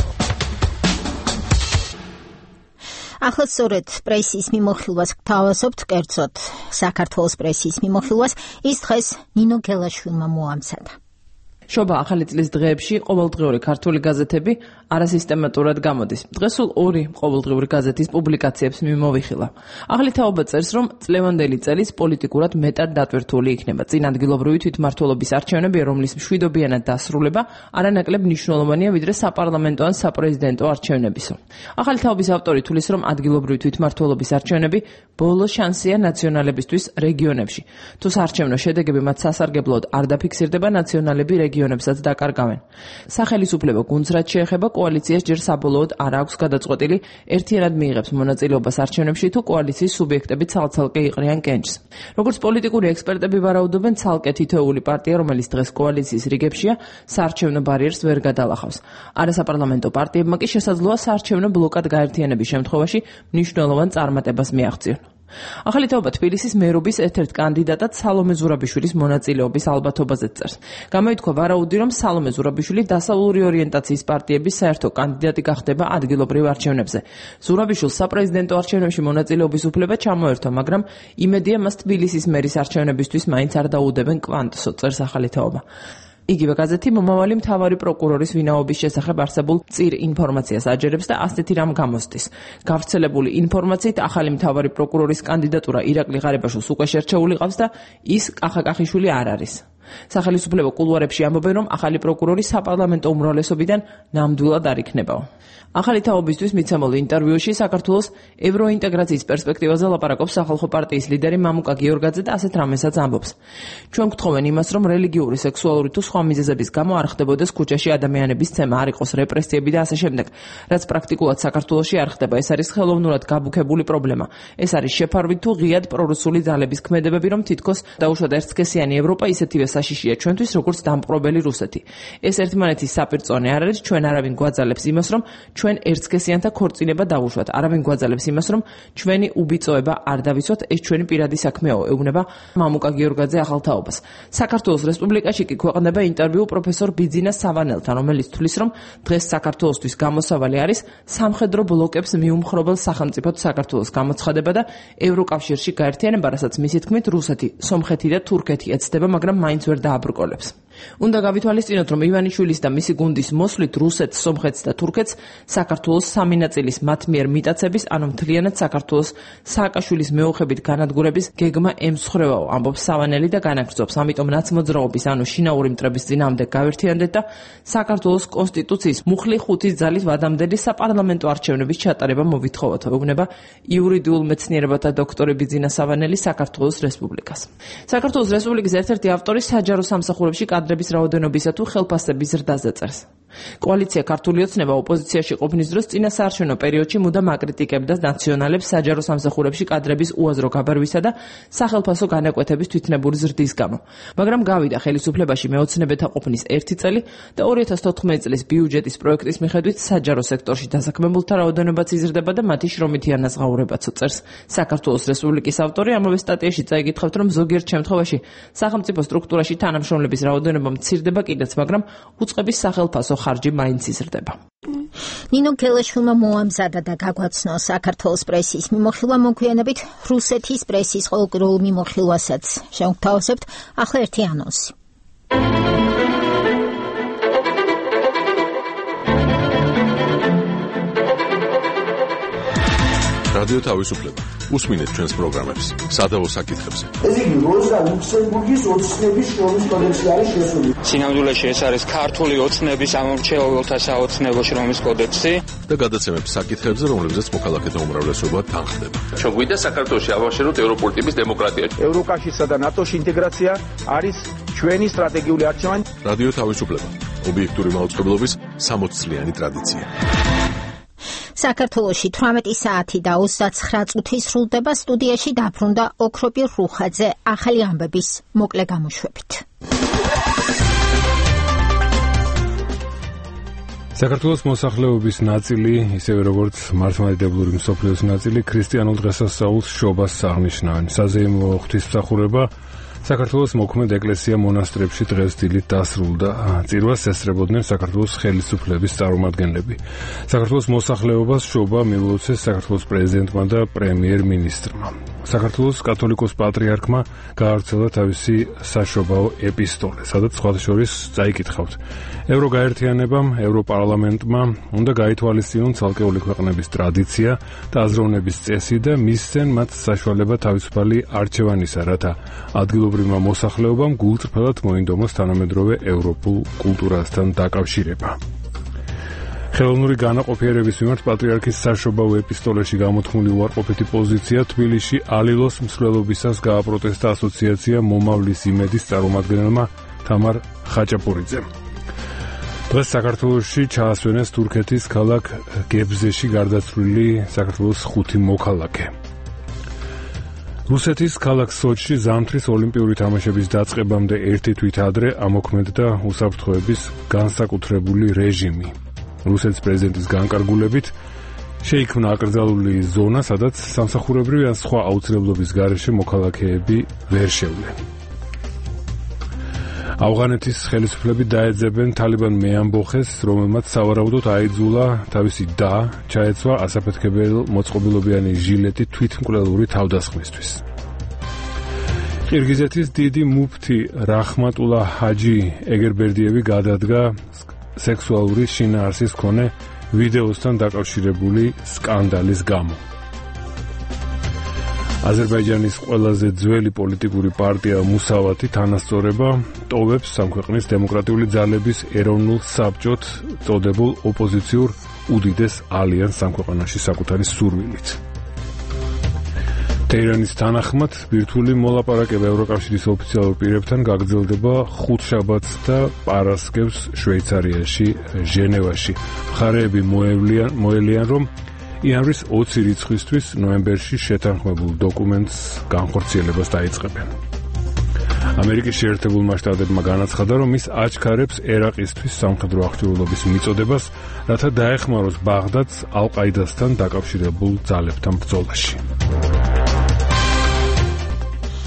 ახლა სწორედ პრესის მიმოხილვას გთავაზობთ, კერძოდ საქართველოს პრესის მიმოხილვას, ის დღეს ნინო გელაშვილმა მოამზადა. შობა ახალი წლის დღეებში ყოველდღიური ქართული გაზეთები არასისტემატურად გამოდის. დღეს სულ ორი ყოველდღიური გაზეთის პუბლიკაციებს მიმოვიხილა. ახალი თაობა წერს, რომ წლევანდელი წელიც პოლიტიკურად მეტად დატვირთული იქნება. წინ ადგილობრივი თვითმმართველობის არჩევნები, რომლის მშვიდობიანად დასრულება არანაკლებ მნიშვნელოვანია, ვიდრე საპარლამენტო ან საპრეზიდენტო არჩევნებისო. ახალი თაობის ავტორი თulis, რომ ადგილობრივი თვითმმართველობის არჩევნები ბოლო შანსია ნაციონალებისთვის რეგიონებში. თუ საარჩევნო შედეგები მათ სასარგებლოდ არ დაფიქსირდება, ნაციონალები რეგიონებსაც დაკარგავენ. სახელისუფლებო გუნდს რაც შეეხება კოალიციას ჯერ საბოლოოდ არ აქვს გადაწყვეტილი ერთიანად მიიღებს მონაწილეობას არჩევნებში თუ კოალიციის სუბიექტები ცალ-ცალკე იყრიან კენჭს. როგორც პოლიტიკური ექსპერტები ვარაუდობენ, ცალკე თითოეული პარტია, რომელიც დღეს კოალიციის რიგებშია, საარჩევნო ბარიერს ვერ გადალახავს. არასაპარლამენტო პარტიებმა კი შესაძლოა საარჩევნო ბლოკად გაერთიანების შემთხვევაში მნიშვნელოვან წარმატებას მიაღწიონ. ახალი თაობა თბილისის მერობის ერთ-ერთ კანდიდატად სალომე ზურაბიშვილის მონაწილეობის ალბათობაზე წერს. გამოითქვა ვარაუდი, რომ სალომე ზურაბიშვილი დასავლური ორიენტაციის პარტიების საერთო კანდიდატი გახდება ადგილობრივ არჩევნებზე. ზურაბიშვილს საპრეზიდენტო არჩევნებში მონაწილეობის უფლება ჩამოერთვა, მაგრამ იმედია მას თბილისის მერის არჩევნებისთვის მაინც არ დაუდებენ კვანტსო, წერს ახალი თაობა. იგივე გაზეთი მომავალი მთავარი პროკურორის ვინაობის შესახებ არსებულ წირ ინფორმაციას აჯერებს და ასეთი რამ გამოსდის. გავრცელებული ინფორმაციით ახალი მთავარი პროკურორის კანდიდატურა ირაკლი ღარიბაშვილს უკვე შერჩეული ყავს და ის კახაკახიშვილი არ არის. სახელისუფლებო კულუარებში ამბობენ, რომ ახალი პროკურორი საპარლამენტო უმრავლესობიდან ნამდვილად არ იქნებაო. ახალი თაობისთვის მიცემულ ინტერვიუში საქართველოს ევროინტეგრაციის პერსპექტივაზე ლაპარაკობს სახალხო პარტიის ლიდერი მამუკა გიორგაძე და ასეთ რამესაც ამბობს. ჩვენ გვთხოვენ იმას, რომ რელიგიური, სექსუალური თუ სხვა მიზეზების გამო არ ხდებოდეს ქუჩაში ადამიანების ცემა, არ იყოს რეპრესიები და ასე შემდეგ. რაც პრაქტიკულად საქართველოში არ ხდება, ეს არის ხელოვნურად გაბუქებული პრობლემა. ეს არის შეფარვით თუ ღიად პრორუსული ძალების ქმედებები, რომ თითქოს დაუშვათ ერთსქესიანი ევროპა ისეთივე საშიშია ჩვენთვის, როგორც დამპყრობელი რუსეთი. ეს ერთმანეთის საპირწონე არ არის, ჩვენ არავინ გვაძალებს იმას, რომ ჩვენ ერთსქესიანთა ქორწინება დავუშვათ. არავინ გვაძალებს იმას, რომ ჩვენი უბიწოება არ დავიცვათ, ეს ჩვენი პირადი საქმეა, ეუბნება მამუკა გიორგაძე ახალ თაობას. საქართველოს რესპუბლიკაში კი ქვეყნდება ინტერვიუ პროფესორ ბიძინა სავანელთან, რომელიც თვლის, რომ დღეს საქართველოსთვის გამოსავალი არის სამხედრო ბლოკებს მიუმხრობელ სახელმწიფოდ საქართველოს გამოცხადება და ევროკავშირში გაერთიანება, რასაც მისი თქმით რუსეთი, სომხეთი და თურქეთი ეცდება, მაგრამ მაინც ვერ დააბრკოლებს. უნდა გავითვალისწინოთ, რომ ივანიშვილის და მისი გუნდის მოსვლით რუსეთს, სომხეთს და თურქეთს საქართველოს სამი ნაწილის მათ მიერ მიტაცების, ანუ მთლიანად საქართველოს სააკაშვილის მეოხებით განადგურების გეგმა ემსხვრევაო, ამბობს სავანელი და განაგრძობს. ამიტომ ნაცმოძრაობის, ანუ შინაური მტრების წინააღმდეგ გავერთიანდეთ და საქართველოს კონსტიტუციის მუხლი ხუთის ძალით ვადამდელი საპარლამენტო არჩევნების ჩატარება მოვითხოვოთ, ეუბნება იურიდიულ მეცნიერებათა დოქტორი ბიძინა სავანელი საქართველოს რესპუბლიკას. საქართველოს რესპუბლიკის ერთ-ერთი ავტორი საჯარო სამსახურებში კადრების რაოდენობისა თუ ხელფასების ზრდაზე წერს. კოალიცია ქართული ოცნება ოპოზიციაში ყოფნის დროს წინა საარჩევნო პერიოდში მუდამ აკრიტიკებდა ნაციონალებს საჯარო სამსახურებში კადრების უაზრო გაბარვისა და სახელფასო განაკვეთების თვითნებური ზრდის გამო. მაგრამ გავიდა ხელისუფლებაში მეოცნებეთა ყოფნის ერთი წელი და ორი ათას თოთხმეტი წლის ბიუჯეტის პროექტის მიხედვით საჯარო სექტორში დასაქმებულთა რაოდენობაც იზრდება და მათი შრომითი ანაზღაურებაც წერს საქართველოს რესპუბლიკის ავტორი. ამავე სტატიაში წაიგითხავთ, რომ ზოგიერთ შემთხვევაში სახელმწიფო სტრუქტურაში თანამშრომლების რაოდენობა მცირდება კიდეც, მაგრამ უწყების სახელფასო ხარჯი მაინც იზრდება. ნინო კელაშვილმა მოამზადა და გაგვაცნო საქართველოს პრესის მიმოხილვა, მოგვიანებით რუსეთის პრესის ყოველკვირეულ მიმოხილვასაც შევთავაზებთ. ახლა ერთი ანონსი. რადიო თავისუფლება. უსმინეთ ჩვენს პროგრამებს სადავო საკითხებზე. ეს იგი როზა ლუქსემბურგის ოცნების შრომის კოდექსი არის შესული. სინამდვილეში ეს არის ქართული ოცნების ამორჩეულთა საოცნებო შრომის კოდექსი და გადაცემებს საკითხებზე, რომლებზეც მოქალაქეთა უმრავლესობა თანხდება. ჩვენ გვინდა საქართველოში ავაშენოთ ევროპული ტიპის დემოკრატია. ევროკავშირსა და ნატოს ინტეგრაცია არის ჩვენი სტრატეგიული არჩევანი. რადიო თავისუფლება. ობიექტური მაუწყებლობის სამოც წლიანი ტრადიცია. საქართველოში თვრამეტი საათი და ოცდაცხრა წუთი სრულდება. სტუდიაში დაბრუნდა ოქროპირ რუხაძე ახალი ამბების მოკლე გამოშვებით. საქართველოს მოსახლეობის ნაწილი, ისევე როგორც მართლმადიდებლური მსოფლიოს ნაწილი, ქრისტიანულ დღესასწაულს შობას აღნიშნავენ. საზეიმო ღვთისმსახურება საქართველოს მოქმედ ეკლესია მონასტრებში დღეს დილით დასრულდა. წირვას ესწრებოდნენ საქართველოს ხელისუფლების წარმომადგენლები. საქართველოს მოსახლეობას შობა მიულოცეს საქართველოს პრეზიდენტმა და პრემიერ-მინისტრმა. საქართველოს კათოლიკოს პატრიარქმა გაავრცელა თავისი საშობაო ეპისტოლე, სადაც სხვათა შორის წაიკითხავთ. ევროგაერთიანებამ, ევროპარლამენტმა უნდა გაითვალისწინონ ცალკეული ქვეყნების ტრადიცია და აზროვნების წესი და მისცენ მათ საშუალება თავისუფალი არჩევანისა, რათა ადგილობრივმა მოსახლეობამ გულწრფელად მოინდომოს თანამედროვე ევროპულ კულტურასთან დაკავშირება. ხელოვნური განაყოფიერების მიმართ პატრიარქის საშობაო ეპისტოლეში გამოთქმული უარყოფითი პოზიცია თბილისში ალილოს მსვლელობისას გააპროტესტა ასოციაცია მომავლის იმედის წარმომადგენელმა თამარ ხაჭაპურიძემ. დღეს საქართველოში ჩაასვენეს თურქეთის ქალაქ გებზეში გარდაცვლილი საქართველოს ხუთი მოქალაქე. რუსეთის ქალაქ სოჩში ზამთრის ოლიმპიური თამაშების დაწყებამდე ერთი თვით ადრე ამოქმედდა უსაფრთხოების განსაკუთრებული რეჟიმი. რუსეთის პრეზიდენტის განკარგულებით შეიქმნა აკრძალული ზონა, სადაც სამსახურებრივი ან სხვა აუცილებლობის გარეშე მოქალაქეები ვერ შევლენ. ავღანეთის ხელისუფლები დაეძებენ თალიბან მეამბოხეს, რომელმაც სავარაუდოდ აიძულა თავისი და ჩაეცვა ასაფეთქებელ მოწყობილობიანი ჟილეტი თვითმკვლელური თავდასხმისთვის. ყირგიზეთის დიდი მუფთი რაჰმატულა ჰაჯი ეგერბერდიევი გადადგა სექსუალური შინაარსის მქონე ვიდეოსთან დაკავშირებული სკანდალის გამო. აზერბაიჯანის ყველაზე ძველი პოლიტიკური პარტია მუსავათი თანასწორება ტოვებს სამქვეყნის დემოკრატიული ძალების ეროვნულ საბჭოთ წოდებულ ოპოზიციურ უდიდეს ალიანს სამქვეყნაში საკუთარი სურვილით. ტეირანის თანახმად ბირთვული მოლაპარაკება ევროკავშირის ოფიციალურ პირებთან გაგრძელდება ხუთშაბათს და პარასკევს შვეიცარიაში, ჟენევაში. მხარეები მოელიან, რომ იანვრის ოცი რიცხვისთვის ნოემბერში შეთანხმებულ დოკუმენტს განხორციელებას დაიწყებენ. ამერიკის შეერთებულმა შტატებმა განაცხადა, რომ ის აჩქარებს ერაყისთვის სამხედრო აღჭურვილობის მიწოდებას, რათა დაეხმაროს ბაღდადს ალ-ყაიდასთან დაკავშირებულ ძალებთან ბრძოლაში.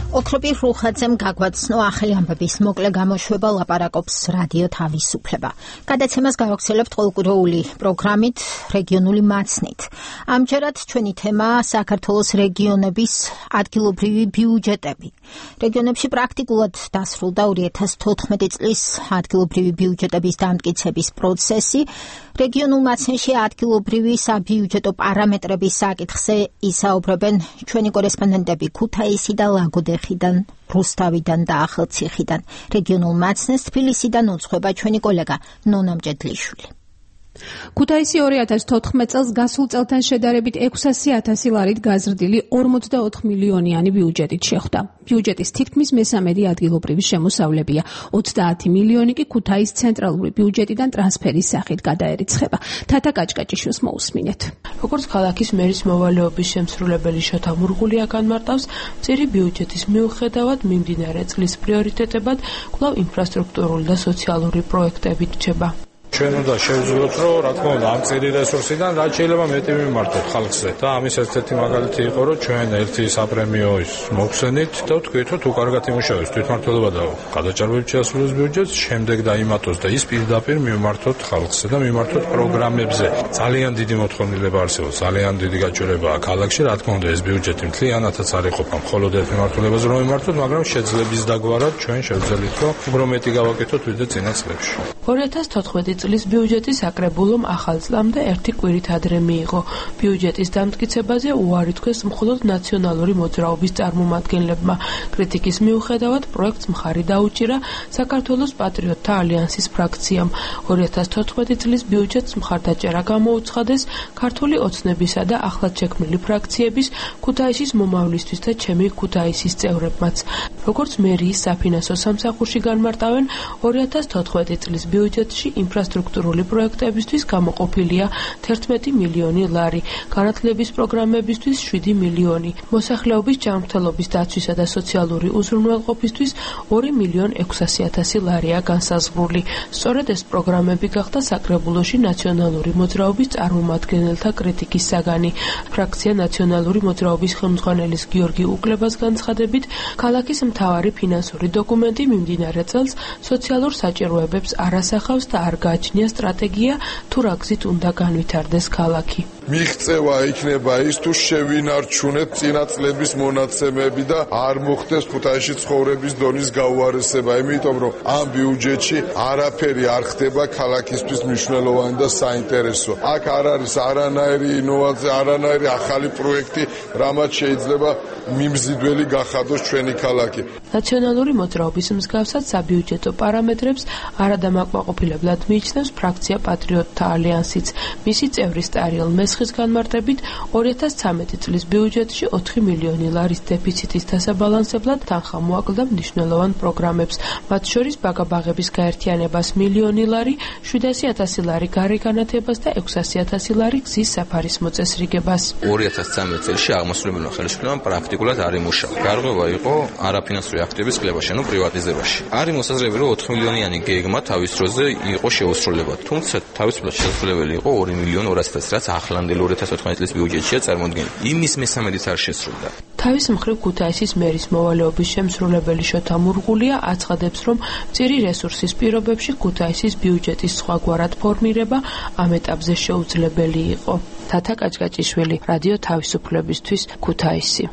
ოქროპირ რუხაძემ გაგვაცნო ახალი ამბების მოკლე გამოშვება ლაპარაკობს რადიო თავისუფლება. გადაცემას გავაგრძელებთ ყოველკვირეული პროგრამით რეგიონული მაცნით. ამჯერად ჩვენი თემაა საქართველოს რეგიონების ადგილობრივი ბიუჯეტები. რეგიონებში პრაქტიკულად დასრულდა ორი ათას თოთხმეტი წლის ადგილობრივი ბიუჯეტების დამტკიცების პროცესი. რეგიონულ მაცნში ადგილობრივი საბიუჯეტო პარამეტრების საკითხზე ისაუბრებენ ჩვენი კორესპონდენტები ქუთაისი და ლაგოდეხიდან, რუსთავიდან და ახალციხიდან. რეგიონულ მაცნეს თბილისიდან უძღვება ჩვენი კოლეგა ნონა მჭედლიშვილი. ქუთაისი ორი ათას თოთხმეტ წელს გასულ წელთან შედარებით ექვსასი ათასი ლარით გაზრდილი ორმოცდაოთხ მილიონიანი ბიუჯეტით შეხვდა. ბიუჯეტის თითქმის მესამედი ადგილობრივი შემოსავლებია. ოცდაათი მილიონი კი ქუთაისის ცენტრალური ბიუჯეტიდან ტრანსფერის სახით გადაერიცხება. თათა კაჭკაჭიშვილს მოусმინეთ. როგორც ქალაქის მერის მოვალეობის შემსრულებელი შოთა მურღულია განმარტავს, მწირი ბიუჯეტის მიუხედავად მიმდინარე წლის პრიორიტეტებად კვლავ ინფრასტრუქტურული და სოციალური პროექტები რჩება. ჩვენ უნდა შევძლებოთ, რომ რა თქმა უნდა ამ წირი რესურსიდან რაც შეიძლება მეტი მიმართოთ ხალხზე და ამის ერთ-ერთი მაგალითი იყო, რომ ჩვენ ერთი საპრემიო ის მოგხსენით და ვთქვით, რომ თუ კარგად იმუშავებს თვითმმართველობა და გადაჭარბებით შეასრულოს ბიუჯეტს, შემდეგ დაიმატოს და ის პირდაპირ მიმართოთ ხალხზე და მიმართოთ პროგრამებზე. ძალიან დიდი მოთხოვნილება არსებობს, ძალიან დიდი გაჭირვებაა ქალაქში, რა თქმა უნდა ეს ბიუჯეტი მთლიანადაც არ იყოფა მხოლოდ ერთ მიმართულებაზე რომ მიმართოთ, მაგრამ შეძლების დაგვარად ჩვენ შევძელით, რომ უფრო მეტი გავაკეთოთ ვიდრე წინა წლებში. ორი ათას თოთხმეტი წლის ბიუჯეტი საკრებულომ ახალ წლამდე ერთი კვირით ადრე მიიღო. ბიუჯეტის დამტკიცებაზე უარი თქვეს მხოლოდ ნაციონალური მოძრაობის წარმომადგენლებმა. კრიტიკის მიუხედავად პროექტს მხარი დაუჭირა საქართველოს პატრიოტთა ალიანსის ფრაქციამ. ორი ათას თოთხმეტი წლის ბიუჯეტს მხარდაჭერა გამოუცხადეს ქართული ოცნებისა და ახლად შექმნილი ფრაქციების ქუთაისის მომავლისთვის და ჩემი ქუთაისის წევრებმაც. როგორც მერიის საფინანსო სამსახურში განმარტავენ, ორი ათას თოთხმეტი წლის ბიუჯეტში ინფრასტრუქტურული პროექტებისთვის გამოყოფილია თერთმეტი მილიონი ლარი, განათლების პროგრამებისთვის შვიდი მილიონი, მოსახლეობის ჯანმრთელობის დაცვისა და სოციალური უზრუნველყოფისთვის ორი მილიონი ექვსასი ათასი ლარია განსაზღვრული. სწორედ ეს პროგრამები გახდა საკრებულოში ნაციონალური მოძრაობის წარმომადგენელთა კრიტიკის საგანი. ფრაქცია ნაციონალური მოძრაობის ხელმძღვანელის გიორგი უკლებას განცხადებით, ქალაქის მთავარი ფინანსური დოკუმენტი მიმდინარე წელს სოციალურ საჭიროებებს არ ასახავს და არ გააჩნია სტრატეგია თუ რა გზით უნდა განვითარდეს ქალაქი. მიღწევა იქნება ის თუ შევინარჩუნეთ წინა წლების მონაცემები და არ მოხდეს ქუთაისში ცხოვრების დონის გაუარესება, იმიტომ რომ ამ ბიუჯეტში არაფერი არ ხდება ქალაქისთვის მნიშვნელოვანი და საინტერესო. აქ არ არის არანაირი ინოვაცია, არანაირი ახალი პროექტი, რამაც შეიძლება მიმზიდველი გახადოს ჩვენი ქალაქი. ნაციონალური მოძრაობის მსგავსად საბიუჯეტო პარამეტრებს არადამაკმაყოფილებლად მიიჩნევს ფრაქცია პატრიოტთა ალიანსიც. მისი წევრი სტარიელ მესხის განმარტებით ორი ათას ცხრამეტი წლის ბიუჯეტში ოთხი მილიონი ლარის დეფიციტის დასაბალანსებლად თანხა მოაკლდა მნიშვნელოვან პროგრამებს, მათ შორის ბაგაბაღების გაერთიანებას მილიონი ლარი, შვიდასი ათასი ლარი გარეგანათებას და ექვსასი ათასი ლარი გზის საფარის მოწესრიგებას. ორი ათას ცხრამეტ წელს აღმასრულებელმა ხელისუფლებამ პრაქტიკულად არ იმუშავა. გარღვევა იყო არაფინანსური აქტივების კლებაში, ანუ პრივატიზებაში. არის მოსაზრება, რომ ოთხ მილიონიანი გეგმა თავის დროზე იყო შეუსრულებლად, თუმცა თავისუფლად შესრულებელი იყო ორი მილიონი ორასი ათასი, რაც ახლანდელ ორი ათას ოთხმეტი წლის ბიუჯეტშია წარმოდგენილი. იმის მესამედიც არ შესრულდა. თავის მხრივ ქუთაისის მერის მოვალეობის შემსრულებელი შოთა მურღულია აცხადებს, რომ მწირი რესურსის პირობებში ქუთაისის ბიუჯეტის სხვაგვარად ფორმირება ამ ეტაპზე შეუძლებელი იყო. თათა კაჭკაჭიშვილი, რადიო თავისუფლებისთვის, ქუთაისი.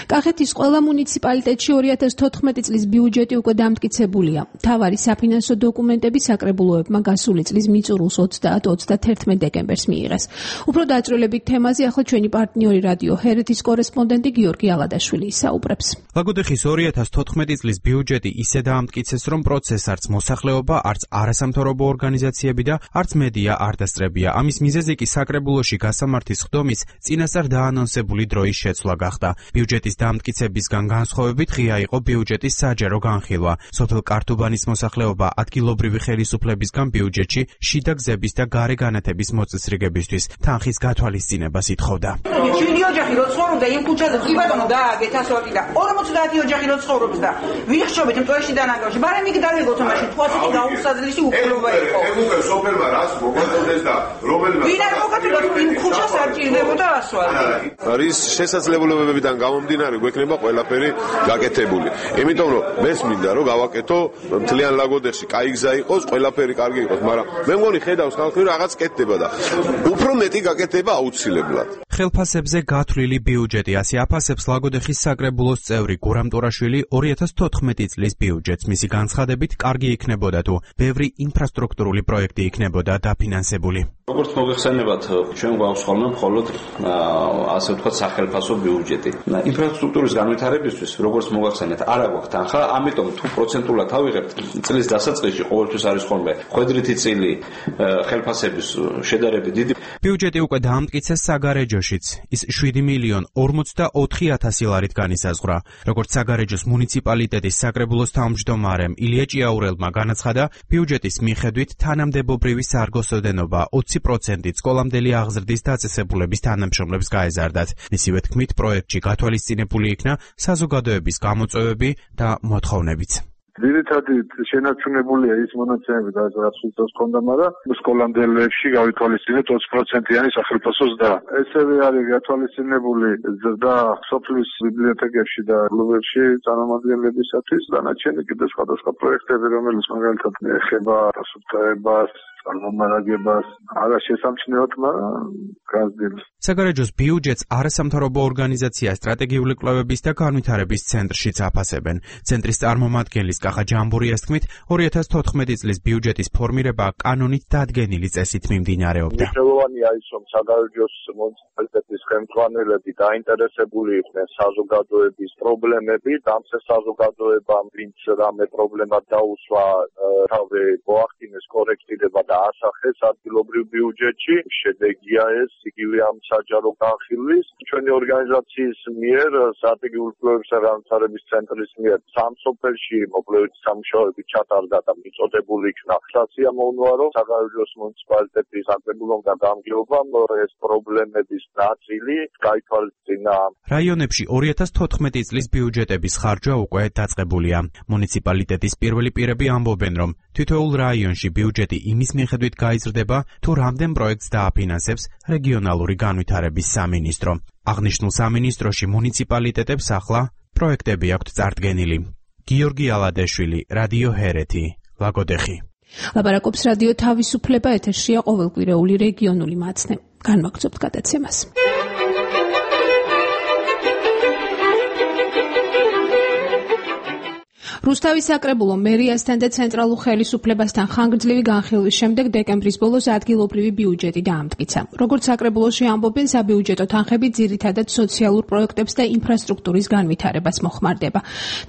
კახეთის ყველა მუნიციპალიტეტში ორი ათას თოთხმეტი წლის ბიუჯეტი უკვე დამტკიცებულია. მთავარი საფინანსო დოკუმენტები საკრებულოებმა გასული წლის მიწურულს ოცდაათ ოცდათერთმეტ დეკემბერს მიიღეს. უფრო დაწვრილებით თემაზე ახლა ჩვენი პარტნიორი რადიო ჰერეთის კორესპონდენტი გიორგი ალადაშვილი ისაუბრებს. ლაგოდეხის ორი ათას თოთხმეტი წლის ბიუჯეტი ისე დაამტკიცეს, რომ პროცესს არც მოსახლეობა, არც არასამთავრობო ორგანიზაციები და არც მედია არ დასწრებია. ამის მიზეზი კი საკრებულოში გასამართის ხდომის წინასწარ დაანონსებული დროის შეცვლა გახდა. ბიუჯეტის დამტკიცებისგან განსხვავებით ღია იყო ბიუჯეტის საჯარო განხილვა. სოფელ კართუბანის მოსახლეობა ადგილობრივი ხელისუფლებისგან ბიუჯეტში შიდა გზების და გარე განათების მოწესრიგებისთვის თანხის გათვალისწინებას ითხოვდა. შვიდი ოჯახი რო ცხოვრობდა იმ ქუჩაზე, კი ბატონო გააგეთ ასოთი და ორმოცდაათი ოჯახი რო ცხოვრობს და ვიხშობით მწვერში დანაგავში. მაგრამ იქ დავიღოთ მაშინ თუ ასეთი გაუსაძლისი უფლება იყო. ეხლა სოფელმა რას მოგაწოდეს და რომელმა ვინ არ მოგაწოდა იმ ქუჩას არ ჭირდებოდა ასვალი. არის შესაძლებლობებიდან გამომდინარე გვექნება ყველაფერი გაკეთებული. იმიტომ რომ მეს მინდა რომ გავაკეთო მთლიან ლაგოდეხში კაი გზა იყოს, ყველაფერი კარგი იყოს, მაგრამ მე მგონი ხედავს ხალხი რომ რაღაც კეთდება და უფრო მეტი გაკეთება აუცილებლად. ხელფასებზე გათვლილი ბიუჯეტი ასე აფასებს ლაგოდეხის საკრებულოს წევრი გურამ ტორაშვილი ორი ათას თოთხმეტი წლის ბიუჯეტს. მისი განცხადებით კარგი იქნებოდა თუ ბევრი ინფრასტრუქტურული პროექტი იქნებოდა დაფინანსებული. როგორც მოგეხსენებათ, ჩვენ გვაქვს ხოლმე მხოლოდ ასე ვთქვათ სახელფასო ბიუჯეტი. ინფრასტრუქტურის განვითარებისთვის, როგორც მოგახსენეთ, არ აქვს თანხა, ამიტომ თუ პროცენტულად ავიღებთ, წლის დასაწყისში ყოველთვის არის ხოლმე ხვედრითი წილი ხელფასების შედარებით დიდი. ბიუჯეტი უკვე დაამტკიცეს საგარეჯოშიც. ის შვიდი მილიონი ორმოცდაოთხი ათასი ლარით განისაზღვრა. როგორც საგარეჯოს მუნიციპალიტეტის საკრებულოს თავმჯდომარემ ილია ჭიაურელმა განაცხადა, ბიუჯეტის მიხედვით თანამდებობრივი სარგოსოდენობა ოცი პროცენტით სკოლამდელი აღზრდის დაწესებულების თანამშრომლებს გაეზარდათ. მისივე თქმით, პროექტში გათვალისწინებული იქნა საზოგადოების გამოწვევები და მოთხოვნებიც. ძირითადად შენარჩუნებულია ის მონაცემები, რაც უწევს ქონდა, მაგრამ სკოლამდელებში გავითვალისწინეთ ოცი პროცენტიანი სახელმწიფო ზრდა. ესევე არის გათვალისწინებული ზრდა სოფლის ბიბლიოთეკებში და კლუბებში წარმომადგენლებისათვის, დანარჩენი კიდევ სხვადასხვა პროექტები, რომელიც მაგალითად ეხება დასუფთავებას, წარმომარაგებას, არა შესამჩნევად, მაგრამ გაზრდილს. საგარეჯოს ბიუჯეტს არასამთავრობო ორგანიზაცია სტრატეგიული კვლევების და განვითარების ცენტრშიც აფასებენ. ცენტრის წარმომადგენლის კახა ჯამბურიას თქმით, ორი ათას თოთხმეტი წლის ბიუჯეტის ფორმირება კანონით დადგენილი წესით მიმდინარეობდა. მნიშვნელოვანია ის, რომ საგარეჯოს მუნიციპალიტეტის ხელმძღვანელები დაინტერესებული იყვნენ საზოგადოების პრობლემებით, ამ საზოგადოებამ ვინც რამე პრობლემა დაუსვა, თავზე მოახდინეს კორექტირება და ასახეს ადგილობრივ ბიუჯეტში. შედეგია ეს იგივე ამ საჯარო განხილვის. ჩვენი ორგანიზაციის მიერ, სტრატეგიული კვლევების და განვითარების ცენტრის მიერ სამ სოფელში მოკვლევითი სამუშაოები ჩატარდა და მიწოდებული იქნა. სასიამოვნოა, რომ საგარეჯოს მუნიციპალიტეტის საკრებულოსგან გამგეობამ ეს პრობლემების ნაწილი გაითვალისწინა. რაიონებში ორი ათას თოთხმეტი წლის ბიუჯეტების ხარჯვა უკვე დაწყებულია. მუნიციპალიტეტის პირველი პირები ამბობენ, რომ თითოეულ რაიონში ბიუჯეტი იმის მიხედვით გაიზრდება, თუ რამდენ პროექტს დააფინანსებს რეგიონალური განვითარების სამინისტრო. აღნიშნულ სამინისტროში მუნიციპალიტეტებს ახლა პროექტები აქვთ წარდგენილი. გიორგი ალადაშვილი, რადიო ჰერეთი, ლაგოდეხი. ლაპარაკობს რადიო თავისუფლება, ეთერშია ყოველკვირეული რეგიონული მაცნე. განვაგრძობთ გადაცემას. რუსთავის საკრებულო მერიასთან და ცენტრალურ ხელისუფლებასთან ხანგრძლივი განხილვის შემდეგ დეკემბრის ბოლოს ადგილობრივი ბიუჯეტი დაამტკიცა. როგორც საკრებულოში ამბობენ, საბიუჯეტო თანხები ძირითადად სოციალურ პროექტებს და ინფრასტრუქტურის განვითარებას მოხმარდება.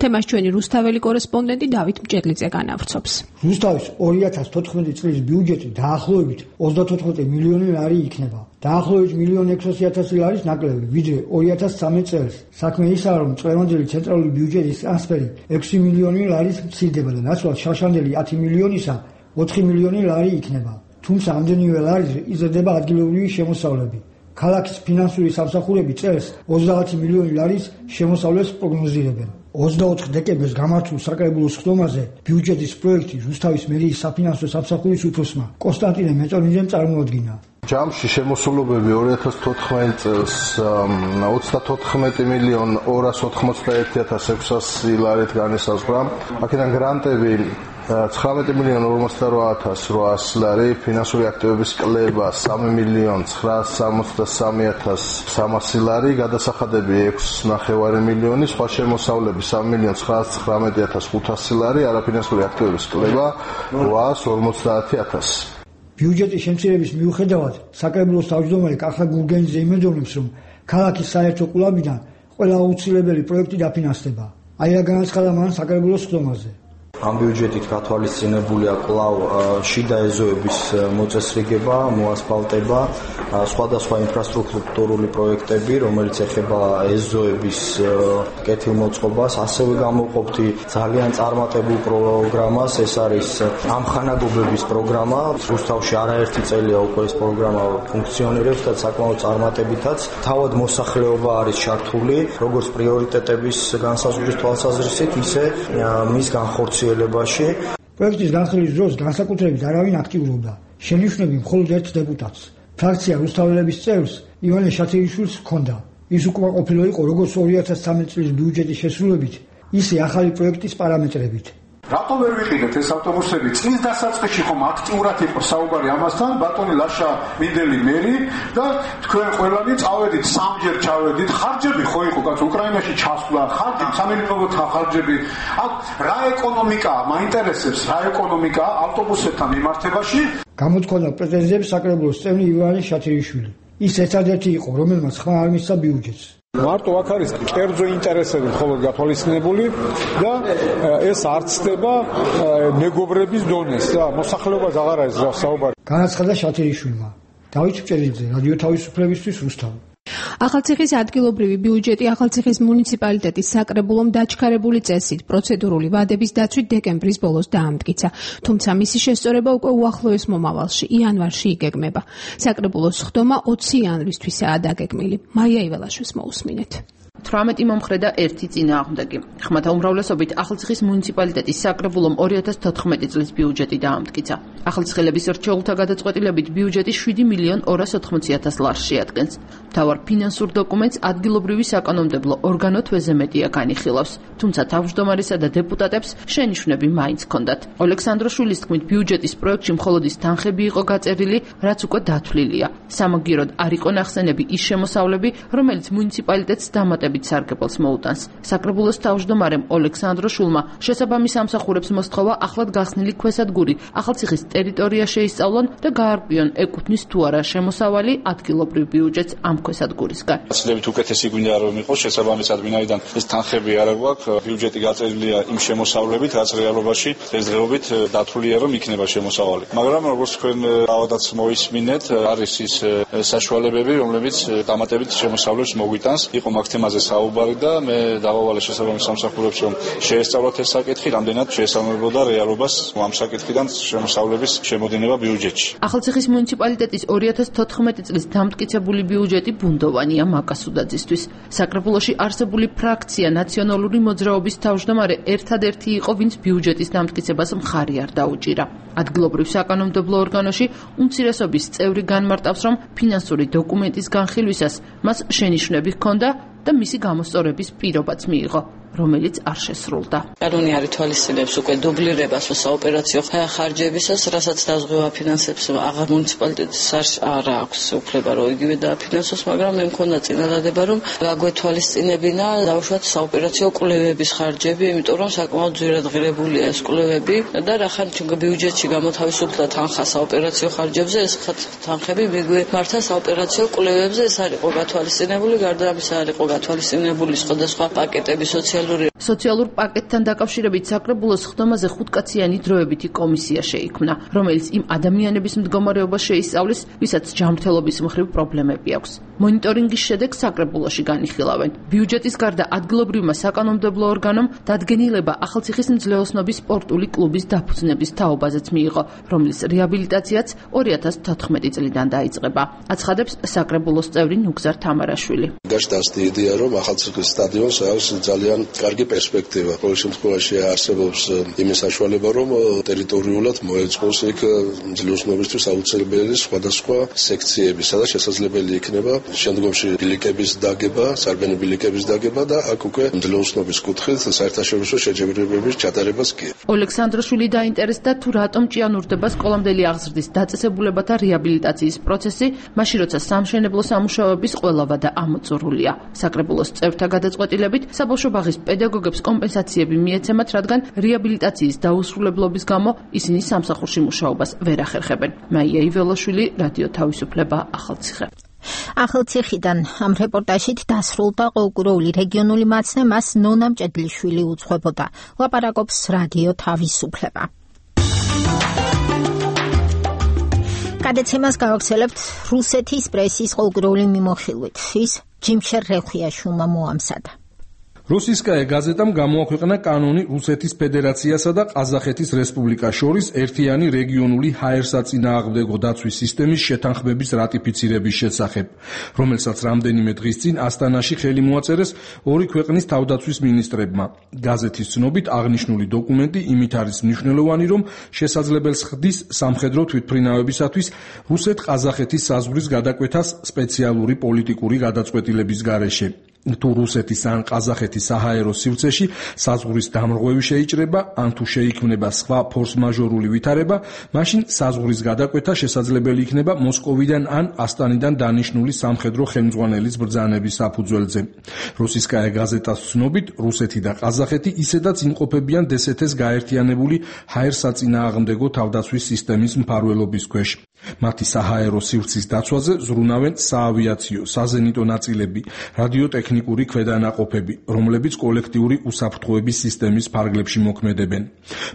თემას ჩვენი რუსთაველი კორესპონდენტი დავით მჭედლიძე განავრცობს. რუსთავის ორი ათას თოთხმეტი წლის ბიუჯეტი დაახლოებით ოცდათოთხმეტი მილიონი ლარი იქნება. დაახლოებით მილიონი ექვსასი ათასი ლარის ნაკლები, ვიდრე ორი ათას ცხრამეტ წელს. საქმე ისაა, რომ წლევანდელი ცენტრალური ბიუჯეტის ტრანსფერი ექვსი მილიონი ლარის მცირდება და ნაცვლად შარშანდელი ათი მილიონისა ოთხი მილიონი ლარი იქნება. თუმცა ამდენივე ლარის იზრდება ადგილობრივი შემოსავლები. ქალაქის ფინანსური სამსახურები წელს ოცდაათი მილიონი ლარის შემოსავლებს პროგნოზირებენ. ოცდაოთხ დეკემბერს გამართულ საკრებულოს ხდომაზე ბიუჯეტის პროექტი რუსთავის მერიის საფინანსო სამსახურის უფროსმა კონსტანტინე მეწონიძემ წარმოადგინა. ჯამში შემოსულობები ორი ათას თოთხმეტ წელს ოცდათოთხმეტი მილიონ ორას ოთხმოცდაერთი ათას ექვსასი ლარით განისაზღვრა. აქედან გრანტები ცხრამეტი მილიონ ორმოცდარვა ათას რვაას ლარი, ფინანსური აქტივების კლება სამი მილიონ ცხრაას სამოცდასამი ათას სამასი ლარი, გადასახადები ექვს ნახევარი მილიონი, სხვა შემოსავლები სამი მილიონ ცხრაას ცხრამეტი ათას ხუთასი ლარი, არაფინანსური აქტივების კლება რვაას ორმოცდაათი ათასი. ბიუჯეტის შემცირების მიუხედავად საკრებულოს თავმჯდომარე კახა გურგენიძე იმედოვნებს, რომ ქალაქის საერთო ყურებიდან ყველა აუცილებელი პროექტი დაფინანსდება. აი რა განაცხადა მან საკრებულოს ხდომაზე. ამ ბიუჯეტით გათვალისწინებულია კვლავ შიდა ეზოების მოწესრიგება, მოასფალტება, სხვადასხვა ინფრასტრუქტურული პროექტები, რომელიც ეხება ეზოების კეთილმოწყობას, ასევე გამოვყოფთ ძალიან წარმატებულ პროგრამას, ეს არის ამხანაგობების პროგრამა. რუსთავში არაერთი წელია უკვე ეს პროგრამა ფუნქციონირებს და საკმაოდ წარმატებითაც. თავად მოსახლეობა არის ჩართული, როგორც პრიორიტეტების განსაზღვრის თვალსაზრისით, ისე მის განხორციელებაში. პროექტის განხილვის დროს განსაკუთრებით არავინ აქტიურობდა. შენიშვნები მხოლოდ ერთ დეპუტატს. ფრაქცია რუსთაველების წევრს ივანე შათერიშვილს ჰქონდა. ის უკმაყოფილო იყო როგორც ორი ათას ცხრამეტ წლის ბიუჯეტის შესრულებით, ისე ახალი პროექტის პარამეტრებით. რატო ვერ ვიყიდეთ ეს ავტობუსები? წლის დასაწყისში ხომ აქტიურად იყო საუბარი ამასთან, ბატონი ლაშა მინდელი მერი და თქვენ ყველანი წავედით, სამჯერ ჩავედით, ხარჯები ხო იყო კაც უკრაინაში ჩასვლა, ხარჯი, სამეურნეობათა ხარჯები. აქ რა ეკონომიკაა, მაინტერესებს რა ეკონომიკაა ავტობუსებთან მიმართებაში? გამოთქვამდა პრეტენზიებს საკრებულოს წევრი ივანე შათერიშვილი. ის ერთადერთი იყო, რომელმაც ხმა არ მისცა ბიუჯეტს. მარტო აქ არის კერძო ინტერესები მხოლოდ გათვალისწინებული და ეს არ ცდება მეგობრების დონეს და მოსახლეობას აღარ არის საუბარი. განაცხადა შათერიშვილმა. დავით მჭედლიძე, რადიო თავისუფლებისთვის, რუსთავი. ახალციხის ადგილობრივი ბიუჯეტი ახალციხის მუნიციპალიტეტის საკრებულომ დაჩქარებული წესით პროცედურული ვადების დაცვით დეკემბრის ბოლოს დაამტკიცა, თუმცა მისი შესწორება უკვე უახლოეს მომავალში, იანვარში იგეგმება. საკრებულოს ხდომა ოცი იანვრისთვისაა დაგეგმილი. მაია იველაშვილს მოусმინეთ. თვრამეტი მომხრე და ერთი წინააღმდეგი. ხმათა უმრავლესობით ახალციხის მუნიციპალიტეტის საკრებულომ ორი ათას თოთხმეტი წლის ბიუჯეტი დაამტკიცა. ახალციხელების რჩეულთა გადაწყვეტილებით ბიუჯეტი შვიდი მილიონ ორას ოთხმოცი ათას ლარს შეადგენს. მთავარ ფინანსურ დოკუმენტს ადგილობრივი საკანონმდებლო ორგანო თვეზე-მედია განიხილავს, თუმცა თავმჯდომარესა და დეპუტატებს შენიშვნები მაინც ჰქონდათ. ოლექსანდროშვილის თქმით, ბიუჯეტის პროექტში მხოლოდ ის თანხები იყო გაწერილი, რაც უკვე დათვლილია. სამაგიეროდ არ იყო ნახსენები ის შემოსავლები, რომელიც მუნიციპალიტეტს დამატებით სარგებელს მოუტანს. საკრებულოს თავმჯდომარემ ოლექსანდროშვილმა შესაბამის სამსახურებს მოსთხოვა ახლად გახსნილი ქვესადგური ახალციხის ტერიტორია შეისწავლონ და გაარკვიონ ეკუთვნის თუ არა შემოსავალი ადგილობრივ ბიუჯეტს ამ ქვესადგურისგან. გაცილებით უკეთესი გვინდა რომ იყოს შესაბამისად ვინაიდან ეს თანხები არ გვაქვს, ბიუჯეტი გაწერილია იმ შემოსავლებით, რაც რეალობაში დღესდღეობით დათვლილია რომ იქნება შემოსავალი. მაგრამ როგორც თქვენ ავადაც მოისმინეთ, არის ის საშუალებები, რომლებიც დამატებით შემოსავლებს მოგვიტანს. იყო მაგ თემაზე საუბარი და მე დავავალე შესაბამის სამსახურებს რომ შეესწავლოთ ეს საკითხი, რამდენად შეესაბამებოდა რეალობას ამ საკითხიდან შემოსავლების შემოდინება ბიუჯეტში. ახალციხის მუნიციპალიტეტის ორი ათას თოთხმეტი წლის დამტკიცებული ბიუჯეტი ბუნდოვანია მაკასუდაძისთვის. საკრებულოში არსებული ფრაქცია ნაციონალური მოძრაობის თავმჯდომარე ერთადერთი იყო, ვინც ბიუჯეტის დამტკიცებას მხარი არ დაუჭირა. ადგილობრივ საკანონმდებლო ორგანოში უმცირესობის წევრი განმარტავს, რომ ფინანსური დოკუმენტის განხილვისას მას შენიშვნები ჰქონდა და მისი გამოსწორების პირობაც მიიღო. რომელიც არ შესრულდა. კანონი არ ითვალისწინებს უკვე დუბლირებას საოპერაციო ხარჯებისას, რასაც დაზღვევა ფინანსებს აღარ მუნიციპალიტეტს არ აქვს უფლება რომ იგივე დააფინანსოს, მაგრამ მე მქონდა წინადადება რომ გაგვეთვალისწინებინა დავუშვათ საოპერაციო კვლევების ხარჯები, იმიტომ რომ საკმაოდ ძვირად ღირებულია ეს კვლევები და რახან ჩვენ ბიუჯეტში გამოთავისუფლდა თანხა საოპერაციო ხარჯებზე, ეს თანხები მიგვემართა საოპერაციო კვლევებზე, ეს არ იყო გათვალისწინებული, გარდა ამისა არ იყო გათვალისწინებული სხვადასხვა პაკეტები სოციალური სოციალურ პაკეტთან დაკავშირებით საკრებულოს ხდომაზე ხუთკაციანი დროებითი კომისია შეიქმნა, რომელიც იმ ადამიანების მდგომარეობას შეისწავლის, ვისაც ჯანმრთელობის მხრივ პრობლემები აქვს. მონიტორინგის შედეგს საკრებულოში განიხილავენ. ბიუჯეტის გარდა ადგილობრივმა საკანონმდებლო ორგანომ დადგენილება ახალციხის მძლეოსნობის სპორტული კლუბის დაფუძნების თაობაზეც მიიღო, რომლის რეაბილიტაციაც ორი ათას თოთხმეტი წლიდან დაიწყება. აცხადებს საკრებულოს წევრი ნუგზარ თამარაშვილი. გაშტასდი იდეა რომ ახალციხის სტადიონს აქვს ძალიან კარგი პერსპექტივა. ყოველ შემთხვევაში არსებობს იმის საშუალება რომ ტერიტორიულად მოეწყოს იქ მძლეოსნობისთვის აუცილებელი სხვადასხვა სექციები, სადაც შესაძლებელი იქნება შემდგომში ბილიკების დაგება, სარბენი ბილიკების დაგება და აქ უკვე მძლეოსნობის კუთხით საერთაშორისო შეჯიბრებების ჩატარებას კი. ოლექსანდროშვილი დაინტერესდა თუ რატომ ჭიანურდება სკოლამდელი აღზრდის დაწესებულებათა რეაბილიტაციის პროცესი, მაშინ როცა სამშენებლო სამუშაოების ყველა ვადა ამოწურულია. საკრებულოს წევრთა გადაწყვეტილებით საბავშვო ბაღის პედაგოგებს კომპენსაციები მიეცემათ, რადგან რეაბილიტაციის დაუსრულებლობის გამო ისინი სამსახურში მუშაობას ვერ ახერხებენ. მაია იველაშვილი, რადიო თავისუფლება, ახალციხე. ახალციხიდან ამ რეპორტაჟით დასრულდა ყოველკვირეული რეგიონული მაცნე, მას ნონა მჭედლიშვილი უძღვებოდა. ლაპარაკობს რადიო თავისუფლება. გადაცემას გავაგრძელებთ რუსეთის პრესის ყოველკვირეული მიმოხილვით. ის ჯიმშერ რეხვიაშვილმა მოამზადა. რუსისკაია გაზეტამ გამოაქვეყნა კანონი რუსეთის ფედერაციასა და ყაზახეთის რესპუბლიკას შორის ერთიანი რეგიონული ჰაერსაწინააღმდეგო დაცვის სისტემის შეთანხმების რატიფიცირების შესახებ, რომელსაც რამდენიმე დღის წინ ასტანაში ხელი მოაწერეს ორი ქვეყნის თავდაცვის მინისტრებმა. გაზეთის ცნობით აღნიშნული დოკუმენტი იმით არის მნიშვნელოვანი, რომ შესაძლებელს ხდის სამხედრო თვითმფრინავებისათვის რუსეთ-ყაზახეთის საზღვრის გადაკვეთას სპეციალური პოლიტიკური გადაწყვეტილების გარეშე. თუ რუსეთის ან ყაზახეთის საჰაერო სივრცეში საზღვრის დამრღვევი შეიჭრება, ან თუ შეიქმნება სხვა ფორს-მაჟორული ვითარება, მაშინ საზღვრის გადაკვეთა შესაძლებელი იქნება მოსკოვიდან ან ასტანიდან დანიშნული სამხედრო ხელმძღვანელის ბრძანების საფუძველზე. რუსისკაია გაზეტას ცნობით, რუსეთი და ყაზახეთი ისედაც იმყოფებიან დსთ-ს გაერთიანებული ჰაერსაწინააღმდეგო თავდაცვის სისტემის მფარველობის ქვეშ. მათი საჰაერო სივრცის დაცვაზე ზრუნავენ საავიაციო, საზენიტო ნაწილები, რადიოტექნიკური ქვედანაყოფები, რომლებიც კოლექტიური უსაფრთხოების სისტემის ფარგლებში მოქმედებენ.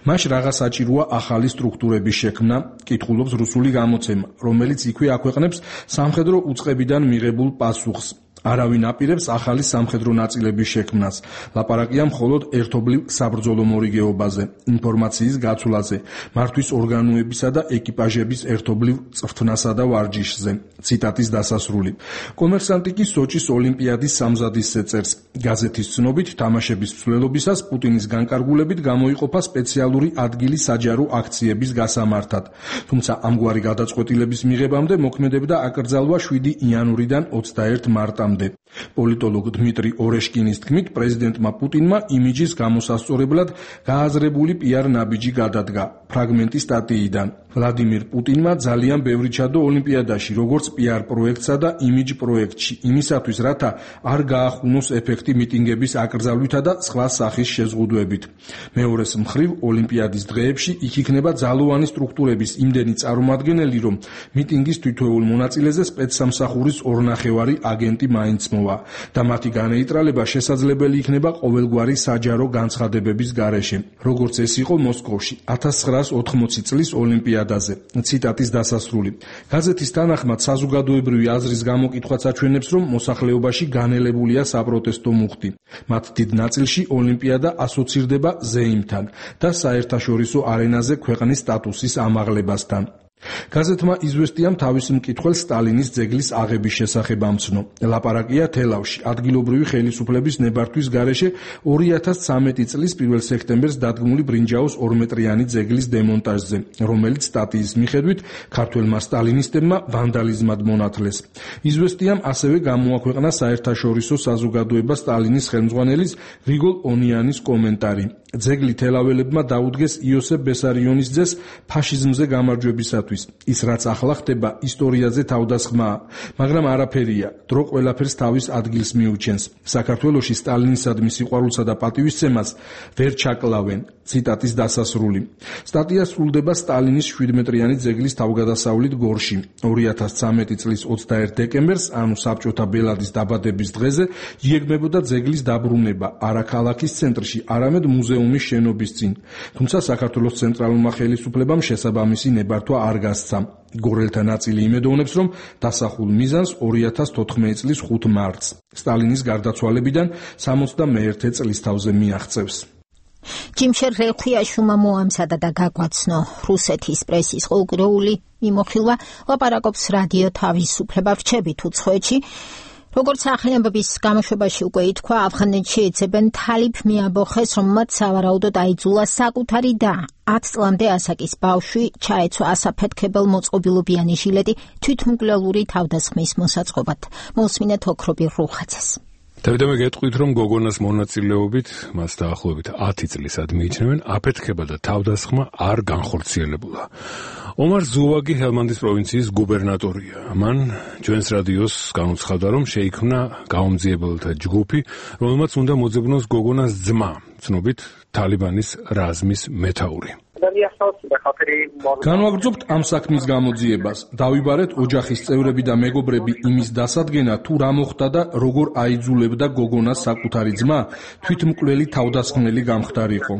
მას რაღაც საჭიროა ახალი სტრუქტურების შექმნა, კითხულობს რუსული გამოცემა, რომელიც იქვე აქვეყნებს სამხედრო უწყებიდან მიღებულ პასუხს. არავინ აპირებს ახალი სამხედრო ნაწილების შექმნას. ლაპარაკია მხოლოდ ერთობლივ საბრძოლო მორიგეობაზე, ინფორმაციის გაცვლაზე, მართვის ორგანოებისა და ეკიპაჟების ერთობლივ წვრთნასა და ვარჯიშზე. ციტატის დასასრული. კომერსანტი კი სოჭის ოლიმპიადის სამზადისზე წერს. გაზეთის ცნობით, თამაშების მსვლელობისას პუტინის განკარგულებით გამოიყოფა სპეციალური ადგილი საჯარო აქციების გასამართად. თუმცა ამგვარი გადაწყვეტილების მიღებამდე მოქმედებდა აკრძალვა შვიდი იანვრიდან ოცდაერთი მარტამდე. პოლიტოლოგ დმიტრი ორეშკინის თქმით, პრეზიდენტმა პუტინმა იმიჯის გამოსასწორებლად გააზრებული პიარ ნაბიჯი გადადგა. ფრაგმენტი სტატიიდან. ვლადიმირ პუტინმა ძალიან ბევრი ჩადო ოლიმპიადაში, როგორც პიარ პროექტსა და იმიჯ პროექტში, იმისათვის, რათა არ გაახუნოს ეფექტი მიტინგების აკრძალვითა და სხვა სახის შეზღუდვებით. მეორეს მხრივ, ოლიმპიადის დღეებში იქ იქნება ძალოვანი სტრუქტურების იმდენი წარმომადგენელი, რომ მიტინგის თითოეულ მონაწილეზე სპეცსამსახურის ორნახევარი აგენტი მაინც მოვა და მათი განეიტრალება შესაძლებელი იქნება ყოველგვარი საჯარო განცხადებების გარეშე, როგორც ეს იყო მოსკოვში ათას ცხრაას ოთხმოცი წლის ოლიმპიადაზე. ციტატის დასასრული. გაზეთის თანახმად საზოგადოებრივი აზრის გამოკითხვაც აჩვენებს, რომ მოსახლეობაში განელებულია საპროტესტო მუხტი. მათ დიდ ნაწილში ოლიმპიადა ასოცირდება ზეიმთან და საერთაშორისო არენაზე ქვეყნის სტატუსის ამაღლებასთან. გაზეთმა იზვესტიამ თავის მკითხველს სტალინის ძეგლის აღების შესახებ ამცნო. ლაპარაკია თელავში ადგილობრივი ხელისუფლების ნებართვის გარეშე ორი ათას ცხრამეტი წლის პირველ სექტემბერს დადგმული ბრინჯაოს ორმეტრიანი ძეგლის დემონტაჟზე, რომელიც სტატიის მიხედვით ქართველმა სტალინისტებმა ვანდალიზმად მონათლეს. იზვესტიამ ასევე გამოაქვეყნა საერთაშორისო საზოგადოება სტალინის ხელმძღვანელის რიგოლ ონიანის კომენტარი. ძეგლი თელაველებმა დაუდგეს იოსებ ბესარიონის ძეს ფაშიზმზე გამარჯვებისათვის. ის რაც ახლა ხდება ისტორიაზე თავდასხმაა, მაგრამ არაფერია, დრო ყველაფერს თავის ადგილს მიუჩენს. საქართველოში სტალინისადმი სიყვარულსა და პატივისცემას ვერ ჩაკლავენ. ციტატის დასასრული. სტატია სრულდება სტალინის შვიდმეტრიანი ძეგლის თავგადასავლით გორში. ორი ათას ცხრამეტი წლის ოცდაერთ დეკემბერს, ანუ საბჭოთა ბელადის დაბადების დღეზე, იეგმებოდა ძეგლის დაბრუნება არა ქალაქის ცენტრში, არამედ მუზეუმის შენობის წინ. თუმცა საქართველოს ცენტრალურმა ხელისუფლებამ შესაბამისი ნებართვა არ გასცა. გორელთა ნაწილი იმედოვნებს, რომ დასახულ მიზანს ორი ათას თოთხმეტი წლის ხუთ მარტს, სტალინის გარდაცვალებიდან სამოცდამეერთე წლისთავზე მიაღწევს. ჯიმშერ რელხიაშუმა მოამზადა და გაგვაცნო რუსეთის პრესის ყოველდღიური მიმოხილვა, ლაპარაკობს რადიო თავისუფლება რჩებით უცხოეთში. როგორც ახალი ამბების გამოშვებაში უკვე ითქვა, ავღანეთში ეძებენ თალიფ მიაბოხეს, რომელმაც სავარაუდოდ აიძულა საკუთარი და ათ წლამდე ასაკის ბავშვი ჩაეცვა ასაფეთქებელ მოწყობილობიანი ჟილეტი თვითმკვლელური თავდასხმის მოსაწყობად. მოусმინეთ ოქრობი რუხაძეს. დავით, მე გეტყვით, რომ გოგონას მონაწილეობით მას დაახლოებით ათი წლისად მიიჩნევენ, აფეთქება და თავდასხმა არ განხორციელებულა. ომარ ზუვაგი ჰელმანდის პროვინციის გუბერნატორია. მან ჩვენს რადიოს განუცხადა, რომ შეიქმნა გაუმძიებელთა ჯგუფი, რომელმაც უნდა მოძებნოს გოგონას ძმა, ცნობით თალიბანის რაზმის მეთაური. განვაგრძობთ ამ საქმის გამოძიებას. დავიბარეთ ოჯახის წევრები და მეგობრები იმის დასადგენად, თუ რა მოხდა და როგორ აიძულებდა გოგონას საკუთარი ძმა, თვითმკვლელი თავდასხმელი გამხდარიყო.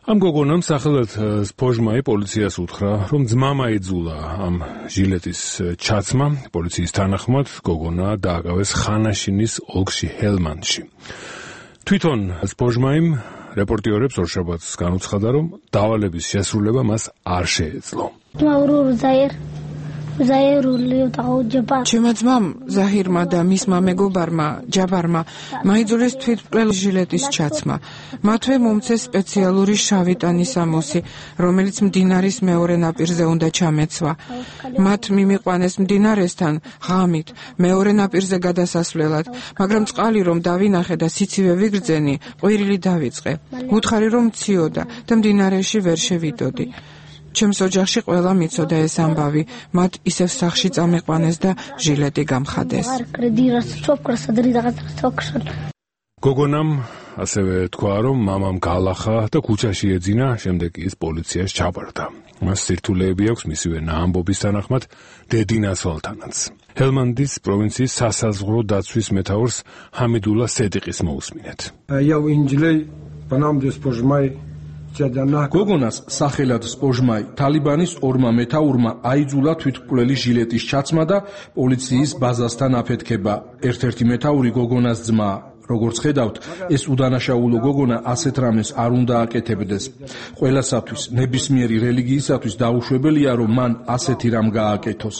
ამ გოგონამ სახელად სპოჟმაი პოლიციას უთხრა, რომ ძმამ აიძულა ამ ჟილეტის ჩაცმა. პოლიციის თანახმად გოგონა დააკავეს ხანაშინის ოლქში ჰელმანდში. თვითონ სპოჟმაიმ რეპორტიორებს ორშაბათს განუცხადა, რომ დავალების შესრულება მას არ შეეძლო. ჩემო ძმამ ზაჰირმა და მისმა მეგობარმა ჯაბარმა მაიძულეს თვითმკვლელ ჟილეტის ჩაცმა. მათვე მომცეს სპეციალური შავი ტანის ამოსი, რომელიც მდინარის მეორე ნაპირზე უნდა ჩამეცვა. მათ მიმიყვანეს მდინარესთან ღამით მეორე ნაპირზე გადასასვლელად, მაგრამ წყალი რომ დავინახე და სიცივე ვიგრძენი, ყვირილი დავიწყე. უთხარი რომ მციოდა და მდინარეში ვერ შევიდოდი. ჩემს ოჯახში ყველა მიცოდა ეს ამბავი, მათ ისევ სახში წამიყვანეს და ჟილეტი გამხადეს. გოგონამ ასევე თქვა, რომ მამამ გაალახა და ქუჩაში ეძინა, შემდეგ ის პოლიციას ჩაბარდა. მას სირთულეები აქვს მისივე ამბობის თანახმად დედინასვალთანაც. ჰელმანდის პროვინციის სასაზღვრო დაცვის მეთაურს ჰამიდულა სედიყის მოусმინეთ. გოგონას სახელად სპოჟმაი თალიბანის ორმა მეთაურმა აიძულა თვითმკვლელი ჟილეტის ჩაცმა და პოლიციის ბაზასთან აფეთქება. ერთ-ერთი მეთაური გოგონას ძმა. როგორც ხედავთ, ეს უდანაშაულო გოგონა ასეთ რამეს არ უნდა აკეთებდეს. ყველასათვის, ნებისმიერი რელიგიისათვის დაუშვებელია, რომ მან ასეთი რამ გააკეთოს.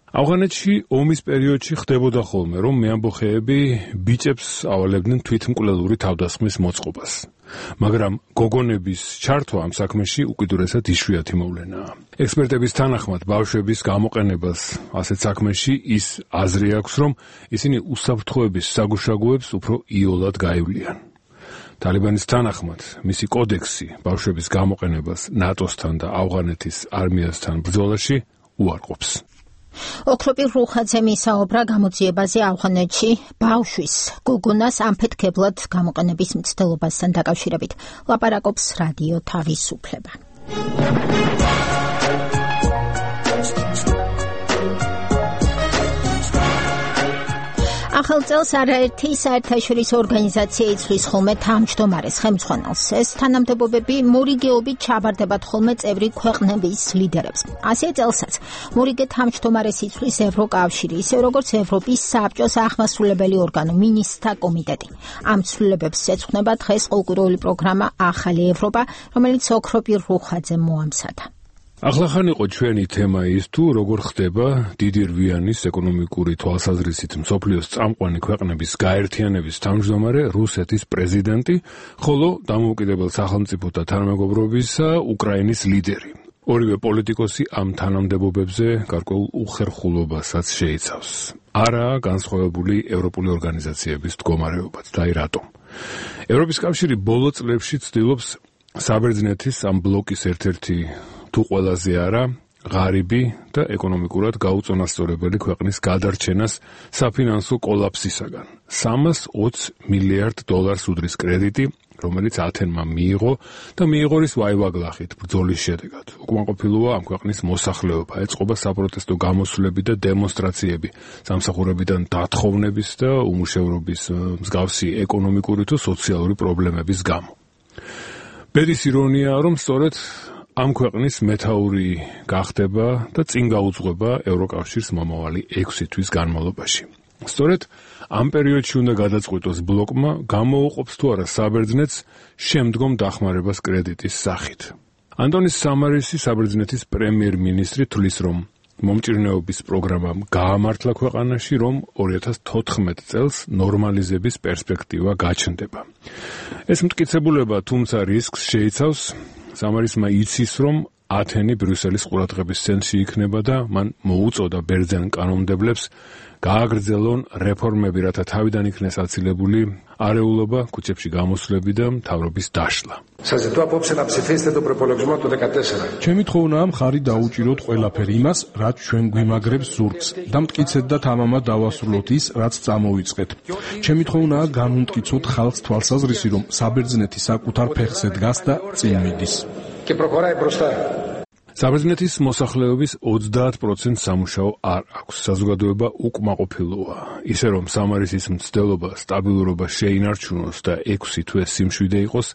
ავღანეთში ომის პერიოდში ხდებოდა ხოლმე, რომ მეამბოხეები ბიჭებს ავალებდნენ თვითმკვლელური თავდასხმის მოწყობას. მაგრამ გოგონების ჩართვა ამ საქმეში უკიდურესად იშვიათი მოვლენაა. ექსპერტების თანახმად, ბავშვების გამოყენებას ასეთ საქმეში ის აზრი აქვს, რომ ისინი უსაფრთხოების საგუშაგოებს უფრო იოლად გაივლიან. თალიბანის თანახმად, მისი კოდექსი ბავშვების გამოყენებას ნატოსთან და ავღანეთის არმიასთან ბრძოლაში უარყოფს. ოქროპი რუხაძე მისაუბრა გამოძიებაზე ავღანეთში ბავშვის გოგონას ამფეთქებლად გამოყენების მცდელობასთან დაკავშირებით. ლაპარაკობს რადიო თავისუფლება. ახალ წელს არაერთი საერთაშორისო ორგანიზაცია იცვლის ხოლმე თავმჯდომარეს ხელმძღვანელს. ეს თანამდებობები მორიგეობით ჩაბარდებათ ხოლმე წევრი ქვეყნების ლიდერებს. ასეთ წელსაც მორიგე თავმჯდომარეს იცვლის ევროკავშირი, ისე როგორც ევროპის საბჭოს აღმასრულებელი ორგანო მინისტრთა კომიტეტი. ამ ცვლილებებს ეძღვნება დღეს ყოველკვირეული პროგრამა ახალი ევროპა, რომელიც ოქროპირ რუხაძემ მოამზადა. ახლახან იყო ჩვენი თემა ის თუ როგორ ხდება დიდი რვიანის ეკონომიკური თვალსაზრისით მსოფლიოს წამყვანი ქვეყნების გაერთიანების თავმჯდომარე რუსეთის პრეზიდენტი, ხოლო დამოუკიდებელ სახელმწიფოთა თანამეგობრობისა უკრაინის ლიდერი. ორივე პოლიტიკოსი ამ თანამდებობებზე გარკვეულ უხერხულობასაც შეიცავს. არაა განსხვავებული ევროპული ორგანიზაციების მდგომარეობაც და აი რატომ. ევროპის კავშირი ბოლო წლებში ცდილობს საბერძნეთის ამ ბლოკის ერთ-ერთი თუ ყველაზე არა ღარიბი და ეკონომიკურად გაუწონასწორებელი ქვეყნის გადარჩენას საფინანსო კოლაფსისაგან. სამას ოცი მილიარდ დოლარს უდრის კრედიტი, რომელიც ათენმა მიიღო და მიიღო რის ვაივაგლახით ბრძოლის შედეგად. უკმაყოფილოა ამ ქვეყნის მოსახლეობა, ეწყობა საპროტესტო გამოსვლები და დემონსტრაციები, სამსახურებიდან დათხოვნების და უმუშევრობის მსგავსი ეკონომიკური თუ სოციალური პრობლემების გამო. ბედის ირონიაა, რომ სწორედ ამ ქვეყნის მეთაური გახდება და წინ გაუძღვება ევროკავშირს მომავალი ექვსი თვის განმავლობაში. სწორედ ამ პერიოდში უნდა გადაწყვიტოს ბლოკმა, გამოუყოფს თუ არა საბერძნეთს შემდგომ დახმარებას კრედიტის სახით. ანტონის სამარისი, საბერძნეთის პრემიერ-მინისტრი, თვლის, რომ მომჭირნეობის პროგრამამ გაამართლა ქვეყანაში, რომ ორი ათას თოთხმეტ წელს ნორმალიზების პერსპექტივა გაჩნდება. ეს მტკიცებულება თუმცა რისკს შეიცავს. სამარისმა იცის, რომ ათენი ბრიუსელის ყურადღების ცენტრში იქნება და მან მოუწოდა ბერძენ კანონმდებლებს გააგრძელონ რეფორმები, რათა თავიდან იქნეს აცილებული არეულობა, ქუჩებში გამოსვლები და მთავრობის დაშლა. ჩემი თხოვნაა მხარი დაუჭიროთ ყველაფერი იმას, რაც ჩვენ გვიმაგრებს ზურგს და მტკიცეთ და თამამად დავასრულოთ ის, რაც წამოვიწყეთ. ჩემი თხოვნაა განვუმტკიცოთ ხალხს თვალსაზრისი, რომ საბერძნეთი საკუთარ ფეხზე დგას და წინ მიდის. საბერძნეთის მოსახლეობის ოცდაათ პროცენტს სამუშაო არ აქვს. საზოგადოება უკმაყოფილოა. ისე რომ სამარისის მცდელობა სტაბილურობა შეინარჩუნოს და ექვსი თვე სიმშვიდე იყოს,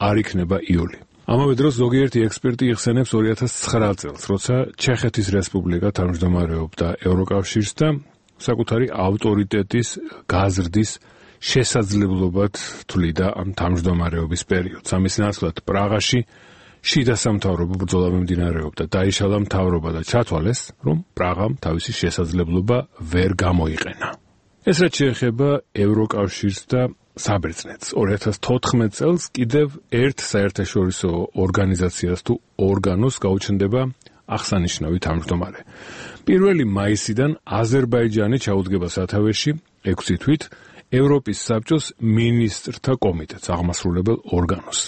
არ იქნება იოლი. ამავე დროს ზოგიერთი ექსპერტი იხსენებს ორი ათას ცხრა წელს, როცა ჩეხეთის რესპუბლიკა თავმჯდომარეობდა ევროკავშირს და საკუთარი ავტორიტეტის გაზრდის შესაძლებლობად თვლიდა ამ თავმჯდომარეობის პერიოდს. ამის ნაცვლად პრაღაში შიდა სამთავრობო ბრძოლა მიმდინარეობდა, დაიშალა მთავრობა და ჩათვალეს, რომ პრაღამ თავისი შესაძლებლობა ვერ გამოიყენა. ეს რაც შეეხება ევროკავშირს და საბერძნეთს. ორი ათას თოთხმეტ წელს კიდევ ერთ საერთაშორისო ორგანიზაციას თუ ორგანოს გაუჩნდება აღსანიშნავი თავმჯდომარე. პირველი მაისიდან აზერბაიჯანი ჩაუდგება სათავეში ექვსი თვით ევროპის საბჭოს მინისტრთა კომიტეტს, აღმასრულებელ ორგანოს.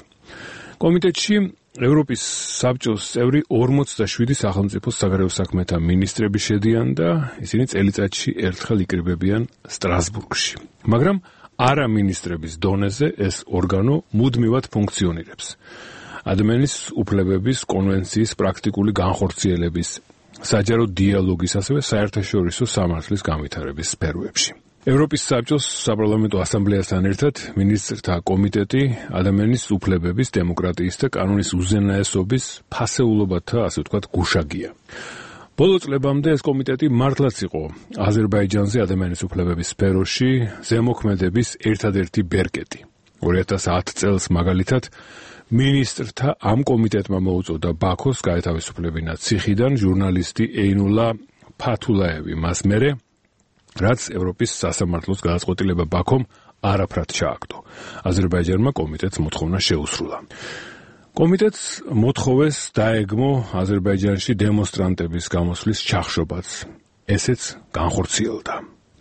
კომიტეტში ევროპის საბჭოს წევრი ორმოცდაშვიდი სახელმწიფოს საგარეო საქმეთა მინისტრები შედიან და ისინი წელიწადში ერთხელ იკრიბებიან სტრასბურგში. მაგრამ არა მინისტრების დონეზე ეს ორგანო მუდმივად ფუნქციონირებს. ადამიანის უფლებების კონვენციის პრაქტიკული განხორციელების, საჯარო დიალოგის, ასევე საერთაშორისო სამართლის განვითარების სფეროებში. ევროპის საბჭოს საპარლამენტო ასამბლეასთან ერთად მინისტრთა კომიტეტი ადამიანის უფლებების, დემოკრატიის და კანონის უზენაესობის ფასეულობათა, ასე ვთქვათ, გუშაგია. ბოლო წლებამდე ეს კომიტეტი მართლაც იყო აზერბაიჯანზე ადამიანის უფლებების სფეროში ზემოქმედების ერთადერთი ბერკეტი. ორი ათას ათ წელს მაგალითად მინისტრთა ამ კომიტეტმა მოუწოდა ბაქოს გაეთავისუფლებინა ციხიდან ჟურნალისტი ეინულა ფათულაევი, მას მერე რაც ევროპის სასამართლოს გადაწყვეტილება ბაქომ არაფრად ჩააგდო. აზერბაიჯანმა კომიტეტს მოთხოვნა შეუსრულა. კომიტეტს მოთხოვეს დაეგმო აზერბაიჯანში დემონსტრანტების გამოსვლის ჩახშობაც. ესეც განხორციელდა.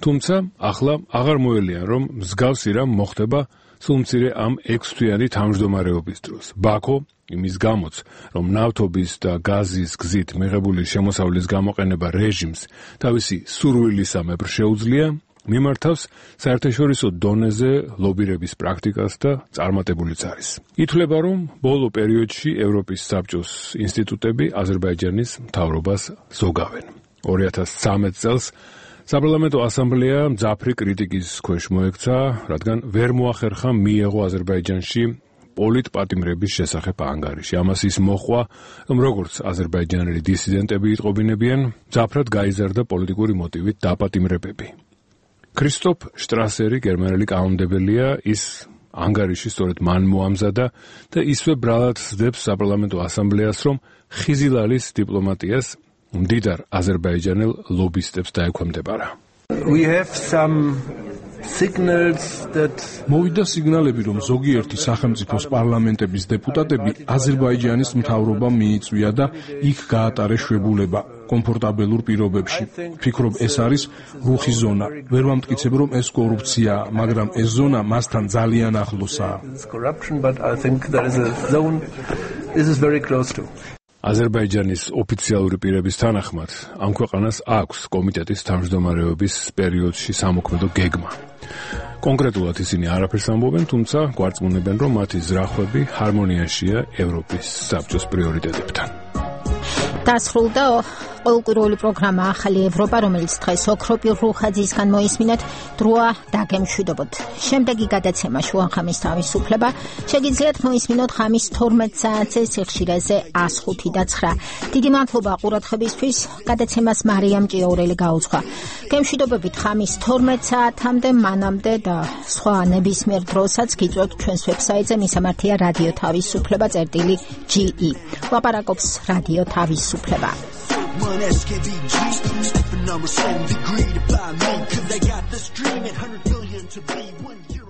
თუმცა ახლა აღარ მოელიან, რომ მსგავსი რამ მოხდება სულმცირე ამ ექვსთვიანი თავმჯდომარეობის დროს. ბაქო იმის გამოც, რომ ნავთობის და გაზის გზით მიღებული შემოსავლის გამოყენება რეჟიმს თავისი სურვილისამებრ შეუძლია, მიმართავს საერთაშორისო დონეზე ლობირების პრაქტიკას და წარმატებულიც არის. ითვლება, რომ ბოლო პერიოდში ევროპის საბჭოს ინსტიტუტები აზერბაიჯანის მთავრობას ზოგავენ. ორი ათას ცხრამეტ წელს საპარლამენტო ასამბლეა მძაფრი კრიტიკის ქვეშ მოექცა, რადგან ვერ მოახერხა მიეღო აზერბაიჯანში პოლიტპატიმრების შესახებ ანგარიში. ამას ის მოჰყვა, რომ როგორც აზერბაიჯანელი დისიდენტები იტყობინებიან, მძაფრად გაიზარდა პოლიტიკური მოტივით დაპატიმრებები. ქრისტოფ შტრასერი, გერმანელი კანონმდებელია, ის ანგარიში სწორედ მან მოამზადა და ისვე ბრალად სდებს საპარლამენტო ასამბლეას, რომ ხიზილალის დიპლომატიას მდიდარ აზერბაიჯანელ ლობისტებს დაექვემდებარა. We have some signals that მოვიდა სიგნალები, რომ ზოგიერთი სახელმწიფოს პარლამენტების დეპუტატები აზერბაიჯანის მთავრობამ მიიწვია და იქ გაატარეს შვებულება კომფორტაბელურ პირობებში. ვფიქრობ, ეს არის რუხი ზონა. ვერ ვამტკიცებ, რომ ეს კორუფციაა, მაგრამ ეს ზონა მასთან ძალიან ახლოსაა. corruption, but I think there is a zone this is very close to. აზერბაიჯანის ოფიციალური პირების თანახმად, ამ ქვეყანას აქვს კომიტეტის თავმჯდომარეობის პერიოდში სამოქმედო გეგმა. კონკრეტულად ისინი არაფერს ამბობენ, თუმცა გვარწმუნებენ, რომ მათი ზრახვები ჰარმონიაშია ევროპის საბჭოს პრიორიტეტებთან. დასრულდა ყოველკვირეული პროგრამა ახალი ევროპა, რომელიც დღეს ოქროპირ რუხაძისგან მოისმინეთ, დროა დაგემშვიდობოთ. შემდეგი გადაცემა შუახამის თავისუფლება შეგიძლიათ მოისმინოთ ხამის თორმეტ საათზე სიხშირეზე ას ხუთი და ცხრა. დიდი მადლობა ყურადღებისთვის. გადაცემას მარიამ ჭიაურელი გაუძღვა. გემშვიდობებით ხამის თორმეტ საათამდე, მანამდე და სხვა ნებისმიერ დროსაც გიწვევთ ჩვენს ვებსაიტზე მისამართია რადიო თავისუფლება წერტილი ჯი ი. ლაპარაკობს რადიო თავისუფლება. One S K V G, stepping on seven degree to buy me, cause I got this dream at one hundred billion to be one year.